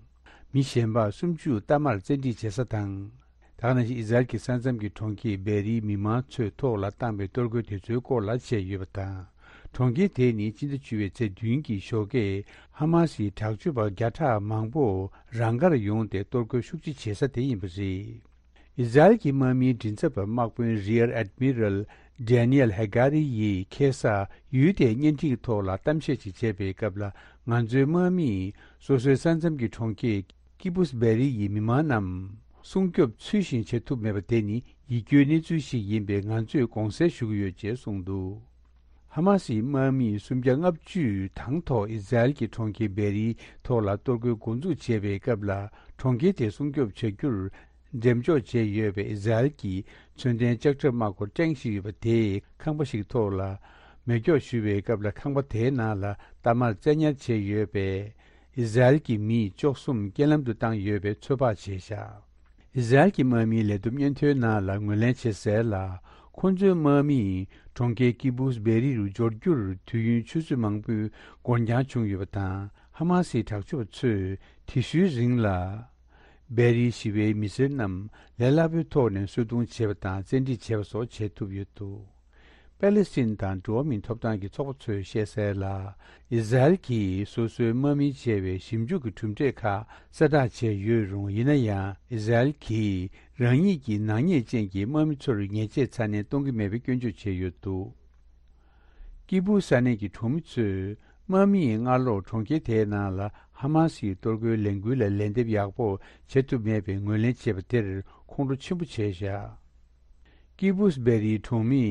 མི་གཞན་པ་སུམ་ཅུ་གཏའ་མར་བཙན་ཁྲིད་བྱེད་ས་དང་། ད་ག་ནང་བཞིན་ཨི་ཟ་རེལ་གྱི་ས་མཚམས་ཀྱི་གྲོང་ཁྱེར་བེ་རིའི་མི་མང་ཚོའི་ཐོག་ལ་བཏང་བའི་གཏོར་རྒོལ་དེ་ཚོའི་སྐོར་ལ་བྱས་ཡོད་པ་དང་། གྲོང་ཁྱེར་དེ་ནི་སྤྱི་ཟླ་བཅུ་པའི་ཚེས་བདུན་གྱི་ཞོགས་ཀས་ཧ་མ་སིའི་དྲག་སྤྱོད་པ་བརྒྱ་ཕྲག་མང་པོ་རང་དགར་ཡོང་སྟེ་གཏོར་རྒོལ་ཤུགས་ཆེ་བྱེད་ས་དེ་ཡིན་པ་རེད། ཨི་ཟ་རེལ་གྱི་དམག་མིའི་མགྲིན་ཚབ་པ་དམག་དཔོན་Rear Admiral Daniel Hagari ཡིས་ཁ་སང་ཡུལ་དེའི་བརྙན་འཕྲིན་གྱི་ཐོག་ལ་གཏམ་བཤད་ཅིག་བྱས་པའི་སྐབས་ལ། ང་ཚོའི་དམག་མིས་སོ་སོའི་ས་མཚམས་ཀྱི་གྲོང་ཁྱེར་ཀི་བུས་བེ་རི་ཡི་མི་མང་རྣམས་སྲུང་སྐྱོབ་ཚུལ་བཞིན་བྱེད་ཐུབ་མེད་པ་དེ་ནི་ཡིད་སྐྱོའི་གནས་ཚུལ་ཞིག་ཡིན་པས་ང་ཚོས་དགོངས་སེལ་ཞུ་གི་ཡོད་ཅེས་གསུངས་འདུག་ཧ་མ་སིའི་དམག་མིས་སུམ་བརྒྱ་ལྔ་བཅུ་དང་ཐོག་ཨི་ཟ་རེལ་གྱི་གྲོང་ཁྱེར་བེ་རིའི་ཐོག་ལ་གཏོར་རྒོལ་འགོ་འཛུགས་བྱས་པའི་སྐབས་ལ། གྲོང་ཁྱེར་དེ་སྲུང་སྐྱོབ་བྱ་རྒྱུར་འགྲེམས་འཇོག་བྱས་ཡོད་པའི་ཨི་ཟ་རེལ་གྱི་མཚོན་ལྡན་ལྕགས་ཁྲབ་དམག་སྒོ་ཀྲེང་ཞིག་ཡོད་པ་དེའི་ཁང་པ་ཞིག་ཐོག་ལ་མེ་སྒྱོགས་གཞུས་པའི་སྐབས་ལ། ཁང་པ་དེའི་ནང་ལ་གཏའ་མར་བཙན་ཉར་བྱས་ཡོད་པས། ཨི་ཟ་རེལ་གྱི་མི་བཅུ་གསུམ་རྐྱེན་ལམ་དུ་བཏང་ཡོད་པའི་ཚོད་དཔག་བྱས་བཞག་ཨི་ཟ་རེལ་གྱི་དམག་མིའི་ལས་བསྡོམས་སྙན་ཐོའི་ནང་ལ་ངོས་ལེན་བྱས་གསལ་ལ། ཁོ་ཚོའི་དམག་མིས་གྲོང་ཁྱེར་ཀི་བུས་བེ་རི་རུ་འབྱོར་རྒྱུར་དུས་ཡུན་ཆུ་ཚོད་མང་པོའི་འགོར་འགྱངས་བྱུང་ཡོད་པ་དང་། ཧ་མ་སིའི་དྲག་སྤྱོད་པ་ཚོས་དེ་ཤུལ་རིང་ལ་བེ་རིའི་ཞི་བའི་མི་སེར་རྣམས་ལས་སླ་པོའི་ཐོག་ནས་གསོད་རྡུང་བྱས་པ་དང་། བཙན་ཁྲིད་བྱས་པ་སོགས་བྱས་ཐུབ་ཡོད་འདུག་པེ་ལེ་སི་ཐན་དང་འགྲོ་བ་མིའི་ཐོབ་ཐང་གི་ཚོགས་པ་ཚོས་བཤད་གསལ་ལ། ཨི་ཟ་རེལ་གྱིས་སོ་སོའི་དམག་མིའི་བྱས་པའི་ཞིབ་འཇུག་གི་གྲུབ་འབྲས་ཁག་གསལ་བསྒྲགས་བྱས་ཡོད་རུང་། ཡིན་ན་ཡང་ཨི་ཟ་རེལ་གྱིས་རང་ཉིད་ཀྱི་ནག་ཉེས་ཅན་གྱི་དམག་མི་ཚོར་ཉེས་ཆད་ཚ་ནན་གཏོང་གི་མེད་པའི་སྐྱོན་བརྗོད་བྱས་ཡོད་འདུག་ཀི་བུ་ས་གནས་ཀྱི་གྲོང་མི་ཚོས་དམག་མིས་སྔ་ལོར་གྲོང་ཁྱེར་དེའི་ནང་ལ་ཧ་མ་སིའི་གཏོར་རྒོལ་ལས་འགུལ་ལ་ལན་འདེབས་ཡག་པོ་བྱེད་ཐུབ་མེད་པའི་ངོས་ལེན་བྱས་པ་དེར་ཁོང་ཁྲོ་ཆེན་པོ་བྱས་བཞག་ཀི་བུས་བེ་རིའི་གྲོང་མི་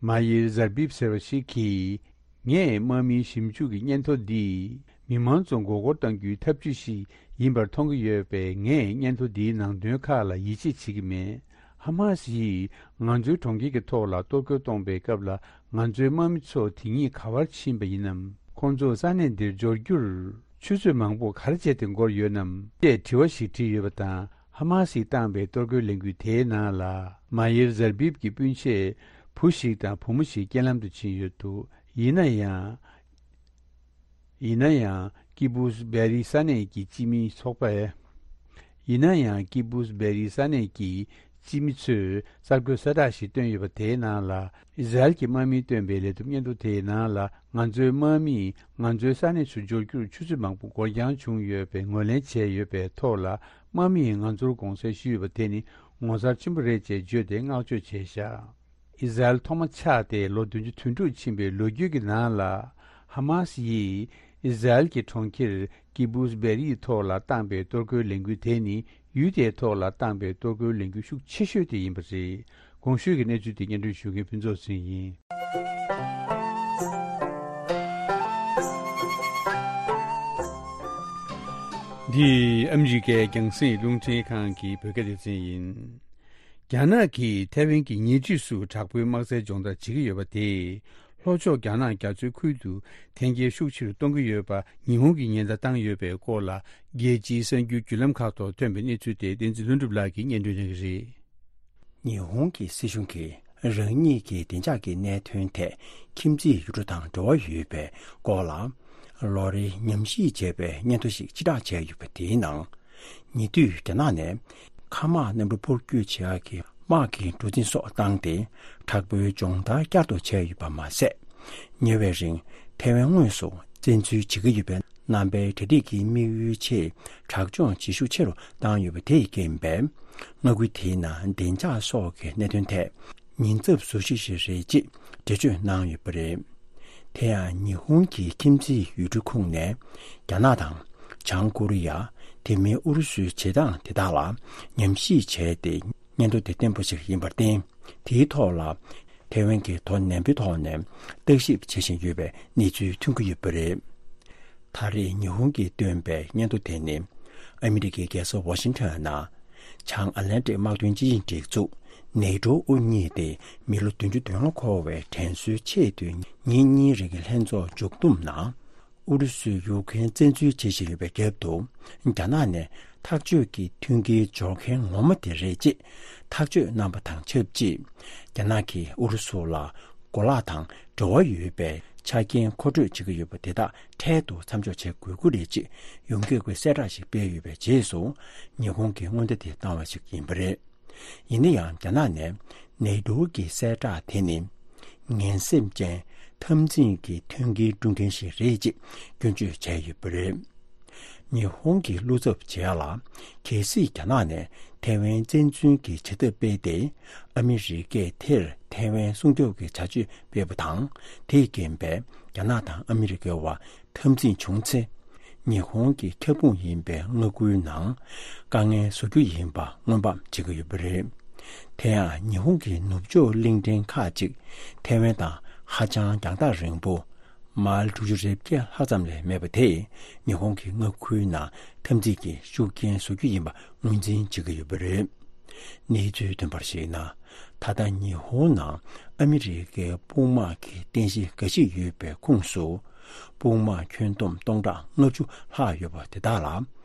མ་ཡིར་ཟར་བིབ་ཟེར་བ་ཞིག་གིས། ངས་དམག་མིའི་ཞིབ་འཇུག་གི་སྙན་ཐོ་འདིས་མི་མང་ཚོ་མགོ་སྐོར་གཏང་རྒྱུའི་ཐབས་ཇུས་ཤིག་ ཡིན་པར་མཐོང་གི་ཡོད་པས། ངས་སྙན་ཐོ་འདིའི་ནང་དོན་ཁག་ལ་ཡིད་ཆེས་བྱེད་ཀྱི་མེད། ཧ་མ་སི་ཡིས་ང་ཚོའི་གྲོང་ཁྱེར་གྱི་ཐོག་ལ་གཏོར་རྒོལ་གཏོང་པའི་སྐབས་ལ། ང་ཚོའི་དམག་མི་ཚོ་དེ་ཉིད་ག་བར་ཕྱིན་པ་ཡིན་ནམ། ཁོང་ཚོ་ས་གནས་འདིར་འབྱོར་རྒྱུར་ཆུ་ཚོད་མང་པོ་ག་རེ་བྱས་ཏེ་འགོར་ཡོད་ནམ། ཅེས་དྲི་བ་ཞིག་བྲིས་ཡོད་པ་དང་། ཧ་མ་སིས་བཏང་པའི་གཏོར་རྒོལ་ལས་འགུལ་དེའི་ནང་ལ། མ་ཡེར་ཟར་བིབ་ཀྱི་སྤུན་མཆེད་བུ་ཞིག་དང་བུ་མོ་ཞིག་རྐྱེན་ལམ་དུ་ཕྱིན་ཡོད་འདུག། ཡིན་ན་ཡང་། ཡིན་ན་ཡང་། ཀི་བུས་བེ་རི་ས་གནས་ཀྱི་སྤྱི་མིའི་ཚོགས་པས། ཡིན་ན་ཡང་། ཀི་བུས་བེ་རི་ས་གནས་ཀྱི་སྤྱི་མི་ཚོས་གསར་འགོད་གསལ་བསྒྲགས་ཤིག་བཏོན་ཡོད་པ་དེའི་ནང་ལ། ཨི་ཟ་རེལ་གྱི་དམག་མིས་བཏོན་པའི་ལས་སྡུམ་སྙན་ཐོ་དེའི་ནང་ལ། ང་ཚོའི་དམག་མིས་ང་ཚོའི་ས་གནས་སུ་འབྱོར་རྒྱུར་ཆུ་ཚོད་མང་པོ་འགོར་འགྱངས་བྱུང་ཡོད་པའི་ངོས་ལེན་བྱས་ཡོད་པའི་ཐོག་ལ། དམག་མིས་ང་ཚོར་དགོངས་སེལ་ཞུས་ཡོད་པ་དེ་ནི་ངོ་མཚར་ཆེན་པོ་རེད་ཅེས་བརྗོད་དེ་བསྔགས་བརྗོད་བྱས་བཞག། ཨི་ཟ་རེལ་ཐོག་མ་ཆགས་ཏེ་ལོ་བདུན་ཅུ་དོན་དྲུག་ཕྱིན་པའི་ལོ་རྒྱུས་ཀྱི་ནང་ལ། ཧ་མ་སི་ཡིས་ཨི་ཟ་རེལ་གྱི་གྲོང་ཁྱེར་ཀི་བུས་བེ་རིའི་ཐོག་ལ་བཏང་པའི་གཏོར་རྒོལ་ལས་འགུལ་དེ་ནི། ཡུལ་དེའི་ཐོག་ལ་བཏང་པའི་གཏོར་རྒོལ་ལས་འགུལ་ཤུགས་ཆེ་ཤོས་དེ་ཡིན་པ་རེད། གོང་ཞུས་ཀྱི་གནས་ཚུལ་དེ་སྙན་སྒྲོན་ཞུ་མཁན་ཕུན་ཚོགས་ཚེ་རིང་ཡིན། འདི་ཨ་མི་རི་ཀའི་རྒྱང་སྲིང་རླུང་འཕྲིན་ཁང་གི་བོད་སྐད་སྡེ་ཚན་ཡིན། རྒྱ་ནག་གིས་ཐའེ་ཝན་གྱི་ཉེ་འཁྲིས་སུ་དྲག་པོའི་དམག་རྩལ་སྦྱོང་བརྡར་བྱེད་ཀྱི་ཡོད་པ་དེས། ལྷོ་ཕྱོགས་རྒྱ་ནག་རྒྱ་མཚོའི་ཁུལ་དུ་འཐེན་འཁྱེར་ཤུགས་ཆེ་རུ་གཏོང་གི་ཡོད་པ་ཉི་ཧོང་གིས་ཉེན་བརྡ་བཏང་ཡོད་པའི་སྐོར་ལ། རྒྱལ་སྤྱིའི་གསར་འགྱུར་བརྒྱུད་ལམ་ཁག་ཐོག་ཐོན་པའི་གནས་ཚུལ་དེ། བསྟན་འཛིན་ལྷུན་གྲུབ་ལགས་ཀྱིས་སྙན་སྒྲོན་གནང་གི་རེད། ཉི་ཧོང་གི་སྲིད་གཞུང་གིས་རང་ཉིད་ཀྱི་བདེ་འཇགས་ཀྱི་གནད་དོན་ཐད་ཁྱིམ་མཚེས་ཡུལ་གྲུ་དང་འབྲེལ་བ་ཡོད་པའི་སྐོར་ལ། ལོ་རེའི་ཉམས་ཞིབ་བྱས་པའི་སྙན་ཐོ་ཞིག་ཕྱིར་བསྒྲགས་བྱས་ཡོད་པ་དེའི་ནང་། ཉེ་དུས་རྒྱ་ནག་ནས་མཁའ་དམག་གནམ་གྲུ་འཕུར་སྐྱོད་བྱེད་ཡག་གི་དམག་གི་གྲུ་གཟིངས་སོགས་བཏང་སྟེ། དྲག་པོའི་སྦྱོང་བརྡར་བསྐྱར་དུ་བྱས་ཡོད་པ་མ་ཟད། ཉེ་བའི་རིང་ཐའེ་ཝན་དངོས་སུ་བཙན་འཛུལ་བྱེད་ཀྱི་ཡོད་པའི་རྣམ་པའི་གྲ་སྒྲིག་གི་དམིགས་ཡུལ་ཆེད་དྲག་སྦྱོང་བྱེད་ཤུགས་ཆེ་རུ་བཏང་ཡོད་པ་དེས་རྐྱེན་པས། མངའ་ཁུལ་དེའི་ནང་བདེ་འཇགས་སོགས་ཀྱི་གནད་དོན་ཐད་ཉེན་ཚབས་བཟོ་གཞི་ཞིག་རེད་ཅེས་འགྲེལ་བརྗོད་གནང་ཡོད་པ་རེད། དེ་ཡང་ཉི་ཧོང་གི་ཁྱིམ་མཚེས་ཡུལ་གྲུ་ཁོངས་ནས་རྒྱ་ནག་དང་བྱང་ཀོ་རི་ཡ། དེ་མིན་ཨུ་རུ་སུའི་བྱེད་སྟངས་དེ་དག་ལ་ཉམས་ཞིབ་བྱས་ཏེ། སྙན་ཐོ་དེ་བརྟན་པོ་ཞིག་ཡིན་པར་བརྟེན། དེའི་ཐོག་ལ་ཐའེ་ཝན་གྱིས་དོ་ནན་པོའི་ཐོག་ནས་བརྟག་ཞིབ་བྱེད་བཞིན་ཡོད་པའི་གནས་ཚུལ་ཐོན་གྱི་ཡོད་པ་རེད། ད་རེས་ཉི་ཧོང་གིས་བཏོན་པའི་སྙན་ཐོ་དེ་ནི། ཨ་མི་རི་ཀའི་རྒྱལ་ས་ཝ་ཤིང་ཊོན་ནང་། བྱང་ཨ་ལན་ཏྲིག་དམག་དོན་སྤྱི་ཆིངས་སྒྲིག་འཛུགས་ནེ་ཊོ་དབུ་བརྙེས་ཏེ་མི་ལོ་བདུན་ཅུ་དོན་ལྔ་འཁོར་བའི་དྲན་གསོའི་ཆེད་དུ་ཉིན་གཉིས་རིང་གི་ལྷན་ཚོགས་མཇུག་བསྡོམས་ནང་། ཨུ་རུ་སུས་ཡུཀ་རེན་བཙན་འཛུལ་བྱེད་བཞིན་ཡོད་པའི་རྒྱབ་ཏུ། རྒྱ་ནག་ནས་ཐག་གཅོད་ཀྱི་མཐུན་རྐྱེན་སྦྱོར་མཁན་ངོ་མ་དེ་རེད་ཅེས་ཐག་གཅོད་གནང་པ་དང་ཆབས་ཅིག། རྒྱ་ནག་གིས་ཨུ་རུ་སུ་ལ་གོ་ལག་དང་འབྲེལ་བ་ཡོད་པའི་ཆ་རྐྱེན་མཁོ་སྤྲོད་བྱེད་ཀྱི་ཡོད་པ་དེ་དག་འཕྲལ་དུ་མཚམས་འཇོག་བྱེད་དགོས་ཀྱི་རེད་ཅེས་ཡོངས་ཁྱབ་ཀྱི་གསལ་བསྒྲགས་ཤིག་སྤེལ་ཡོད་པའི་རྗེས་སུ། ཉི་ཧོང་གིས་སྔོན་བརྡ་དེ་བཏང་བ་ཞིག་ཡིན་པ་རེད། ཡིན་ན་ཡང་། རྒྱ་ནག་ནས་ནེ་ཊོ་གི་གསལ་བསྒྲགས་དེ་ནི་ངན་སེམས་ཅན་འཐབ་འཛིང་གི་མཐུན་རྐྱེན་སྒྲུབ་མཁན་ཞིག་རེད་ཅེས་སྐྱོན་བརྗོད་བྱས་ཡོད་པ་རེད། ཉི་ཧོང་གི་བློ་འཚབ་བྱེད་ཡ་ལ། གལ་སྲིད་རྒྱ་ནག་ནས་ཐའེ་ཝན་བཙན་འཛུལ་གྱི་བྱ་ཐབས་སྤེལ་ཏེ། ཨ་མི་རི་ཀས་དེར་ཐའེ་ཝན་སྲུང་སྐྱོབ་ཀྱི་བྱ་སྤྱོད་སྤེལ་བ་དང་། དེས་རྐྱེན་པས་རྒྱ་ནག་དང་ཨ་མི་རི་ཀའི་བར་འཐབ་འཛིང་བྱུང་ཚེ། ཉི་ཧོང་གི་ཁྱབ་ཁོངས་ཡིན་པའི་མངའ་ཁུལ་ནང་དཀའ་ངལ་བཟོ་རྒྱུ་ཡིན་པ་སྔོན་དཔག་བྱེད་ཀྱི་ཡོད་པ་རེད། དེ་ཡང་ཉི་ཧོང་གི་ནུབ་ཕྱོགས་གླིང་ཕྲན་ཁག་ཅིག་ཐའེ་ཝན་དང་ཧ་ཅང་རྒྱང་ཐག་རིང་པོ་མའིལ་དྲུག་ཅུ་རེ་བརྒྱད་ལྷག་ཙམ་ལས་མེད་པ་དེས་ཉི་ཧོང་གི་མངའ་ཁུལ་ནང་འཐབ་འཛིང་གི་ཤུགས་རྐྱེན་བཟོ་རྒྱུ་ཡིན་པ་ངོས་འཛིན་བྱེད་ཀྱི་ཡོད་པ་རེད། གནས་ཚུལ་ཐོན་པར་གཞིགས་ན། ད་ལྟ་ཉི་ཧོང་ནང་ཨ་མི་རི་ཀའི་དཔུང་དམག་གི་རྟེན་གཞི་འགའ་ཞིག་ཡོད་པའི་ཁོངས་སུ། དཔུང་དམག་ཁྱོན་བསྡོམས་སྟོང་ཕྲག་ལྔ་བཅུ་ལྷག་ཡོད་པ་དེ་དག་ལ།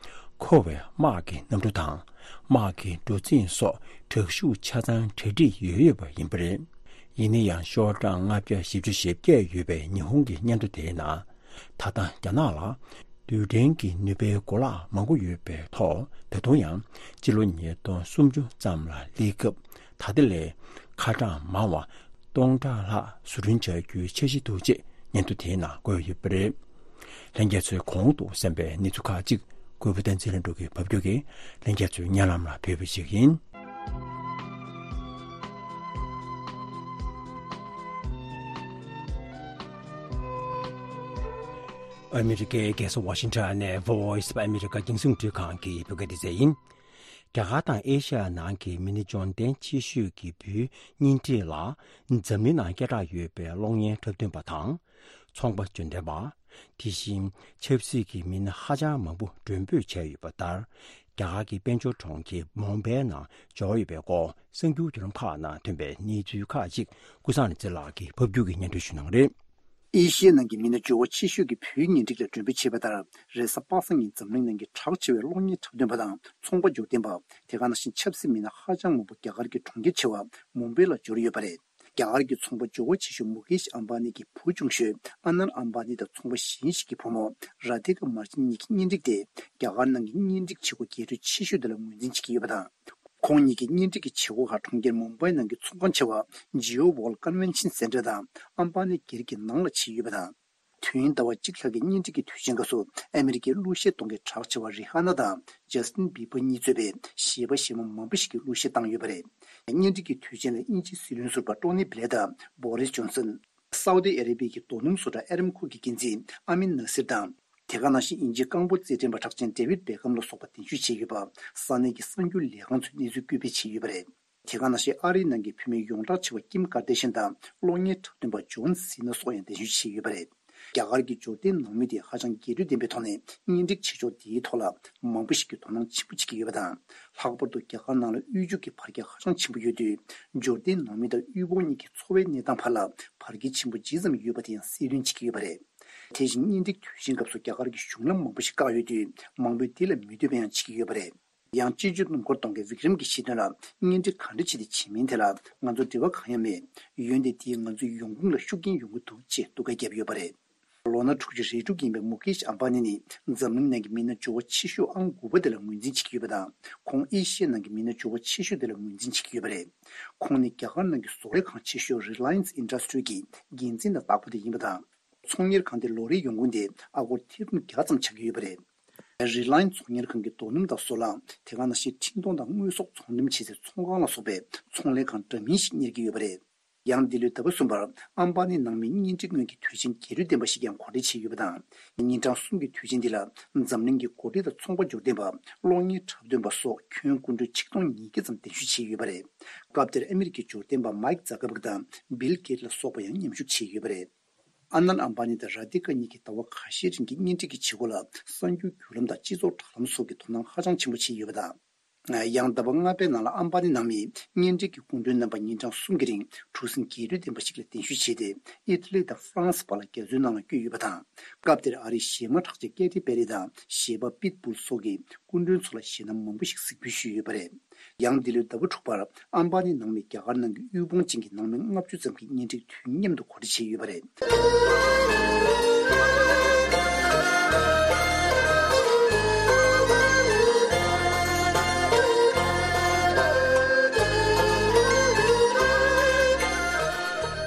མཁོ་བའི་དམག་གི་གནམ་གྲུ་དང་། དམག་གི་གྲུ་གཟིངས་སོགས་དྲག་ཤུགས་ཆ་ཚང་གྲ་སྒྲིག་ཡོད་ཡོད་པ་ཡིན་པ་རེད། ཡིན་ན་ཡང་། ཤོག་གྲངས་ལྔ་བརྒྱ་བཞི་བཅུ་ཞེ་བརྒྱད་ཡོད་པའི་ཉི་ཧོང་གི་སྙན་ཐོ་དེའི་ནང་། ད་ལྟ་རྒྱ་ནག་ལ་རྡུལ་ཕྲན་གྱི་ནུས་པའི་གོ་ལག་མང་པོ་ཡོད་པའི་ཐོག་ད་དུང་ཡང་སྤྱི་ལོ་ཉིས་སྟོང་སུམ་ཅུ་ཙམ་ལ་སླེབས་སྐབས། ད་ལྟ་ལས་ཁ་གྲངས་མང་བ་སྟོང་ཕྲག་ལྷག་བཟོ་སྐྲུན་བྱ་རྒྱུའི་འཆར་གཞི་འདུག་ཅེས་སྙན་ཐོ་དེའི་ནང་བཀོད་ཡོད་པ་རེད། ལྷན་རྒྱས་ཚོས་གོང་དུ་གསན་པའི་གནས་ཚུལ་ཁག་ཅིག་གུས་པ་བསྟན་འཛིན་ལྷུན་གྲུབ་ཀྱིས་ཕབ་སྒྱུར་གྱིས་ལྷན་རྒྱས་ཚོའི་སྙན་ལམ་ལ་ཕུལ་བ་ཞིག་ཡིན། ཨ་མི་རི་ཀའི་རྒྱལ་ས་ཝ་ཤིང་ཊོན་ནས་Voice of America་རྒྱང་སྲིང་རླུང་འཕྲིན་ཁང་གི་བོད་སྐད་སྡེ་ཚན་ཡིན། རྒྱ་གར་དང་ཨེ་ཤ་ཡ་ནང་གི་མི་སྣ་འབྱོར་ལྡན་ཆེ་ཤོས་ཀྱི་བུའི་གཉེན་སྒྲིག་ལ་འཛམ་གླིང་ནང་སྐད་གྲགས་ཡོད་པའི་གློག་བརྙན་འཁྲབ་སྟོན་པ་དང་། ཚོང་པ་འབྱོར་ལྡན་པ། དེ་བཞིན་ཆབ་སྲིད་ཀྱི་མི་སྣ་ཧ་ཅང་མང་པོ་མགྲོན་འབོད་བྱས་ཡོད་པ་ལྟར། རྒྱ་གར་གྱི་དཔལ་འབྱོར་གྲོང་ཁྱེར་མུམ་བྷའི་ནང་འབྱོར་ཡོད་པའི་སྐོར་གསར་འགྱུར་བརྒྱུད་ལམ་ཁག་ནང་ཐོན་པའི་གནས་ཚུལ་ཁག་ཅིག་ཀུན་བཟང་རིག་འཛིན་ལགས་ཀྱིས་ཕབ་སྒྱུར་གྱིས་སྙན་སྒྲོན་ཞུ་གནང་གི་རེད། ཨེ་ཤི་ཡའི་ནང་གི་མི་སྣ་འབྱོར་བ་ཆེ་ཤོས་ཀྱི་བོད་གཉེན་སྒྲིག་ལ་མགྲོན་འབོད་བྱས་པ་ལྟར། རེས་གཟའ་པ་སངས་ཉིན་འཛམ་གླིང་ནང་གི་གྲགས་ཆེ་བའི་གློག་བརྙན་འཁྲབ་སྟོན་པ་དང་ཚོང་པ་འབྱོར་ལྡན་པ། དེ་ག་ནང་བཞིན་ཆབ་སྲིད་མི་སྣ་ཧ་ཅང་མང་པོ་རྒྱ་གར་གྱི་གྲོང་ཁྱེར་ཆེ་བ་མུམ་བྷའི་ལ་འབྱོར་ཡོད་པ་རེད། རྒྱ་གར་གྱི་ཚོང་པ་འབྱོར་བ་ཆེ་ཤོས་མུ་ཀེཤ་ཨམ་བྷ་ནི་གི་བུ་ཆུང་ཤོས་ཨ་ནན་ཨམ་བྷ་ནི་དང་ཚོང་པ་གཞན་ཞིག་གི་བུ་མོ་ར་ཏི་ཀ་མར་ཆན་གཉིས་ཀྱི་གཉེན་སྒྲིག་དེ་རྒྱ་གར་ནང་གི་གཉེན་སྒྲིག་བྱེད་སྒོ་རྒྱས་སྤྲོས་ཆེ་ཤོས་དེ་ལ་ངོས་འཛིན་བྱེད་ཀྱི་ཡོད་པ་དང་། ཁོང་གཉིས་ཀྱི་གཉེན་སྒྲིག་གི་བྱེད་སྒོ་ཁག་གྲོང་ཁྱེར་མུམ་བྷའི་ནང་གི་ཚོང་ཁང་ཆེ་བ་ཇི་ཨོ་ཝོལ་ཀོན་ཝེན་ཤན་སེན་ཊར་དང་ཨམ་བྷ་ནི་སྒེར་གྱི་ནང་ལ་ཕྱིན་ཡོད་པ་དང་། དུས་ཡུན་ཟླ་བ་གཅིག་ལྷག་གི་གཉེན་སྒྲིག་གི་དུས་ཆེན་སྐབས་སུ་ཨ་མི་རི་ཀའི་གླུ་གཞས་གཏོང་མཁན་གྲགས་ཆེ་བ་རི་ཧ་ན་དང་ཇས་ཏིན་བྷི་བྷ་གཉིས་གཙོས་པའི་གཞས་པ་གཞས་མ་མང་པོ་ཞིག་གིས་གླུ་གཞས་བཏང་ཡོད་པ་རེད། གཉེན་སྒྲིག་གི་དུས་ཆེན་ལ་དབྱིན་ཇིའི་སྲིད་བློན་ཟུར་པ་ཊོ་ནི་བྷི་ལེར་དང་བྷོ་རིས་ཇོན་སན། སའུ་ཏི་ཨ་རེ་བྷི་ཡའི་རྡོ་སྣུམ་བཟོ་གྲྭ་ཨེ་རམ་ཁོ་གི་འགན་འཛིན་ཨ་མིན་ནཱ་སིར་དང་། དེ་ག་ནང་བཞིན་དབྱིན་ཇིའི་རྐང་སྤོལ་རྩེད་འགྲན་པ་གྲགས་ཅན་ཌེ་ཝིད་བྷེ་ཁམ་ལ་སོགས་པ་གདན་ཞུ་བྱས་ཡོད་པ། ས་གནས་ཀྱི་གསར་འགྱུར་ལས་ཁང་ཚོས་གནས་ཚུལ་བཀོད་སྤེལ་བྱས་ཡོད་པ་རེད། དེ་ག་ནང་བཞིན་ཨ་རིའི་ནང་གི་བུད་མེད་ཡོངས་གྲགས་ཆེ་བ་ཀིམ་ཀར་ཏེ་ཤན་དང་གློག་བརྙན་འཁྲབ་སྟོན་པ་ཇོན་སི་ན་སོགས་ཡང་གདན་ཞུ་བྱས་ཡོད་པ་རེད། རྒྱ་གར་གྱི་འབྱོར་ལྡན་ནང་མི་དེ་ཧ་ཅང་རྒྱས་སྤྲོས་ལྡན་པའི་ཐོག་ནས་གཉེན་སྒྲིག་བྱེད་ཕྱོགས་དེའི་ཐོག་ལ་མང་པོ་ཞིག་གིས་དོ་སྣང་ཆེན་པོ་བྱེད་ཀྱི་ཡོད་པ་དང་། ལྷག་པར་དུ་རྒྱ་གར་ནང་ལ་དབུལ་ཕྱུག་གི་བར་ཁྱད་ཧ་ཅང་ཆེན་པོ་ཡོད་དུས། འབྱོར་ལྡན་ནང་མི་དང་དབུལ་ཕོངས་གཉིས་ཀྱི་འཚོ་བའི་གནས་སྟངས་བར་ལ་བར་ཁྱད་ཆེན་པོ་ཇི་ཙམ་ཡོད་པ་དེ་ཡང་གསལ་སྟོན་བྱེད་ཀྱི་ཡོད་པ་རེད། དེ་བཞིན་གཉེན་སྒྲིག་དུས་ཆེན་སྐབས་སུ་རྒྱ་གར་གྱི་གཞུང་ལམ་མང་པོ་ཞིག་བཀག་ཡོད་དུས། མང་པོས་དེ་ལ་མི་འདོད་པ་ཡང་བྱེད་ཀྱི་ཡོད་པ་རེད། ཡང་སྤྱི་སྤྱོད་སྣུམ་འཁོར་གཏོང་མཁན་བི་ཀྲམ་གྱིས་བཤད་དོན་ལ། གཉེན་སྒྲིག་ག་འདྲ་བྱས་ཏེ་བྱེད་མིན་དེ་ལ་ང་ཚོ་འབྲེལ་བ་གང་ཡང་མེད། འོན་ཏེ་དེས་ང་ཚོའི་ཡོང་ཁུངས་ལ་ཤུགས་རྐྱེན་ཡོང་གི་འདུག་ཅེས་སྡུག་སྐད་བརྒྱབ་ཡོད་པ་རེད། ལོ་ན་དྲུག་ཅུ་རེ་དྲུག་ཡིན་པའི་མུ་ཀེཤ་ཨམ་བྷ་ནི་ནི་འཛམ་གླིང་ནང་གི་མི་སྣ་འབྱོར་བ་ཆེ་ཤོས་ཨང་དགུ་པ་དེ་ལ་ངོས་འཛིན་བྱེད་ཀྱི་ཡོད་པ་དང་། ཁོང་ཨེ་ཤི་ཡའི་ནང་གི་མི་སྣ་འབྱོར་བ་ཆེ་ཤོས་དེ་ལ་ངོས་འཛིན་བྱེད་ཀྱི་ཡོད་པ་རེད། ཁོང་ནི་རྒྱ་གར་ནང་གི་བཟོ་ལས་ཁང་ཆེ་ཤོས་Reliance Industry གྱི་འགན་འཛིན་དང་བདག་པོ་དེ་ཡིན་པ་དང་། ཚོང་གཉེར་ཁང་དེ་ལོ་རེའི་ཡོང་ཁུངས་དེ་ཨ་སྒོར་ཐེར་འབུམ་བརྒྱ་ཙམ་ཆགས་ཀྱི་ཡོད་པ་རེད། Reliance ཚོང་གཉེར་ཁང་གིས་རྡོ་སྣུམ་དང་བཟོ་ལས། དེ་ག་ནང་བཞིན་འཕྲིན་གཏོང་དང་དངོས་ཟོག་ཚོང་འགྲེམས་བྱེད་སའི་ཚོང་ཁང་ལ་སོགས་པའི་ཚོང་ལས་ཁང་འདྲ་མིན་ཞིག་གཉེར་གྱི་ཡོད་པ་རེད། ཡང་འདི་ལོའི་ཟླ་བ་གསུམ་པར་ཨམ་བྷ་ནི་ནང་མིའི་གཉེན་སྒྲིག་སྔོན་གྱི་དུས་ཆེན་རྒྱས་སྤྲོས་ལྡན་པ་ཞིག་ཀྱང་གོ་སྒྲིག་བྱས་ཡོད་པ་དང་། ཉིན་གྲངས་གསུམ་གྱི་དུས་ཆེན་འདི་ལ་འཛམ་གླིང་གི་འགོ་ཁྲིད་དང་ཚོང་པ་འབྱོར་ལྡན་པ། གློག་བརྙན་འཁྲབ་སྟོན་པ་སོགས་ཁྱོན་སྐུ་མགྲོན་ཆིག་སྟོང་ཉིས་བརྒྱ་ཙམ་གདན་ཞུ་བྱས་ཡོད་པ་རེད། སྐབས་དེར་ཨ་མི་རི་ཀའི་འབྱོར་ལྡན་པ་མའིག་ཛ་ཀར་བྷག་དང་བིལ་གེཊ་ལ་སོགས་པ་ཡང་མཉམ་ཞུགས་བྱས་ཡོད་པ་རེད། ཨ་ནན་ཨམ་བྷ་ནི་དང་ར་ཏི་ཀ་གཉིས་ཀྱིས་ཟླ་བ་ཁ་ཤས་རིང་གི་གཉེན་སྒྲིག་གི་བྱེད་སྒོ་ལ་གསར་འགྱུར་བརྒྱུད་ལམ་དང་སྤྱི་ཚོགས་དྲ་ལམ་སོགས་ཀྱིས་དོ་སྣང་ཧ་ཅང་ཆེན་པོ་བྱས་ཡོད་པ་དང་། ཡང་ཟླ་བ་ལྔ་པའི་ནང་ལ་ཨམ་བྷ་ནི་ནང་མིའི་གཉེན་སྒྲིག་གི་སྐུ་མགྲོན་རྣམ་པ་ཉིན་གྲངས་གསུམ་གྱི་རིང་གྲུ་གཟིངས་རྒྱས་སྤྲོས་ལྡན་པ་ཞིག་ལ་གདན་ཞུ་བྱས་ཏེ། ཨི་ཊ་ལི་དང་ཧྥ་རན་སི་བར་ལ་རྒྱ་མཚོའི་ནང་ལ་བསྐྱོད་ཡོད་པ་དང་། སྐབས་དེར་ཨ་རིའི་གཞས་མ་གྲགས་ཅན་ཀེ་ཐི་པེ་རི་དང་གཞས་པ་པིཊ་བུལ་སོགས་ཀྱིས་སྐུ་མགྲོན་ཚོ་ལ་གཞས་སྣ་མང་པོ་ཞིག་གཟིགས་འབུལ་ཞུས་ཡོད་པ་རེད། ཡང་འདི་ལོའི་ཟླ་བ་དྲུག་པར་ཨམ་བྷ་ནི་ནང་མི་རྒྱ་གར་ནང་གི་དབུལ་ཕོངས་ཅན་གྱི་ནང་མི་ལྔ་བཅུ་ཙམ་གྱི་གཉེན་སྒྲིག་དུས་མཉམ་དུ་གོ་སྒྲིག་བྱས་ཡོད་པ་རེད།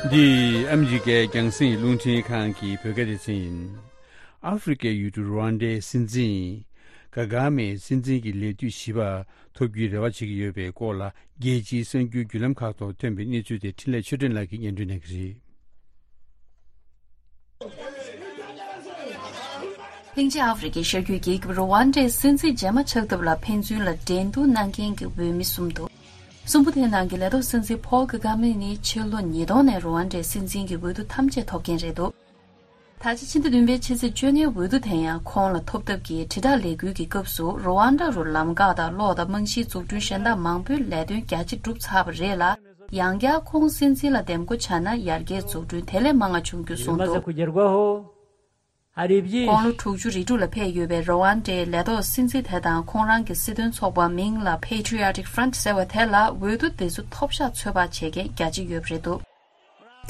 འདི་ཨ་མི་རི་ཀའི་རྒྱང་སྲིང་རླུང་འཕྲིན་ཁང་གི་བོད་སྐད་སྡེ་ཚན་ཡིན། ཨ་ཧྥེ་རི་ཁའི་ཡུལ་གྲུ་རུ་ཝན་ཌའི་སྲིད་འཛིན་ག་གྷ་མེ་སྲིད་འཛིན་གྱི་ལས་དུས་བཞི་པ་ཐོབ་རྒྱུའི་རེ་བ་བྱེད་ཀྱི་ཡོད་པའི་སྐོར་ལ། རྒྱལ་སྤྱིའི་གསར་འགྱུར་བརྒྱུད་ལམ་ཁག་ཐོག་ཐོན་པའི་གནས་ཚུལ་དེ་འཕྲིན་ལས་ཆོས་སྒྲོན་ལགས་ཀྱིས་སྙན་སྒྲོན་གནང་གི་རེད། ལྷིང་ཆེན་ཨ་ཧྥེ་རི་ཁའི་ཤར་རྒྱུད་རྒྱལ་ཁབ་རུ་ཝན་ཌའི་སྲིད་འཛིན་རྗེས་མ་ཆགས་ཐབས་ལ་ཕན་ཚུན་ལ་འགྲན་བསྡུར་གནང་མཁན་གྱི་འོས་མི་གསུམ་འདུག་གསུམ་པོ་དེའི་ནང་གི་ལས་ཐོག་སྲིད་འཛིན་ཕོལ་ཀ་གྷ་མེ་ནི་ཕྱི་ལོ་ཉིས་སྟོང་ནས་རུ་ཝན་ཌའི་སྲིད་འཛིན་གྱི་འོས་བསྡུ་ཐམས་ཅད་ཐོབ་མཁན་རེད་འདུག་ད་ཆ་ཕྱི་ཟླ་བདུན་པའི་ཕྱི་ཚེས་བཅོ་ལྔའི་འོས་བསྡུ་དེ་ཡང་ཁོང་ལ་ཐོབ་ཐབས་ཀྱི་དྲིལ་བསྒྲགས་ལས་འགུལ་གྱི་སྐབས་སུ་རུ་ཝན་ཌ་རུ་ལམ་འགག་དང་གློག་དང་རྨང་གཞིའི་འཛུགས་སྐྲུན་གཞན་དག་མང་པོའི་ལས་དོན་རྒྱ་ཆེ་གྲུབ་ཚར་བ་རེད་ལ། ཡང་བསྐྱར་ཁོང་སྲིད་འཛིན་ལ་འདེམས་བསྐོ་བྱས་ན་ཡར་རྒྱས་འཛུགས་སྐྲུན་དེ་ལས་མང་བ་བྱུང་རྒྱུ་གསུངས་འདུག་དགུང་ལོ་དྲུག་ཅུ་རེ་དྲུག་ལ་ཕེབས་ཡོད་པའི་རུ་ཝན་ཌའི་ལས་ཐོག་སྲིད་འཛིན་དེ་དང་ཁོང་རང་གི་སྲིད་དོན་ཚོགས་པ་མིང་ལ་Patriotic Front ཟེར་བ་དེ་ལ་འོས་བསྡུ་དེ་ཚོ་ཐོབ་ཤག་ཚོད་དཔག་བྱེད་མཁན་རྒྱ་ཆེ་ཡོད་པ་རེད་འདུག་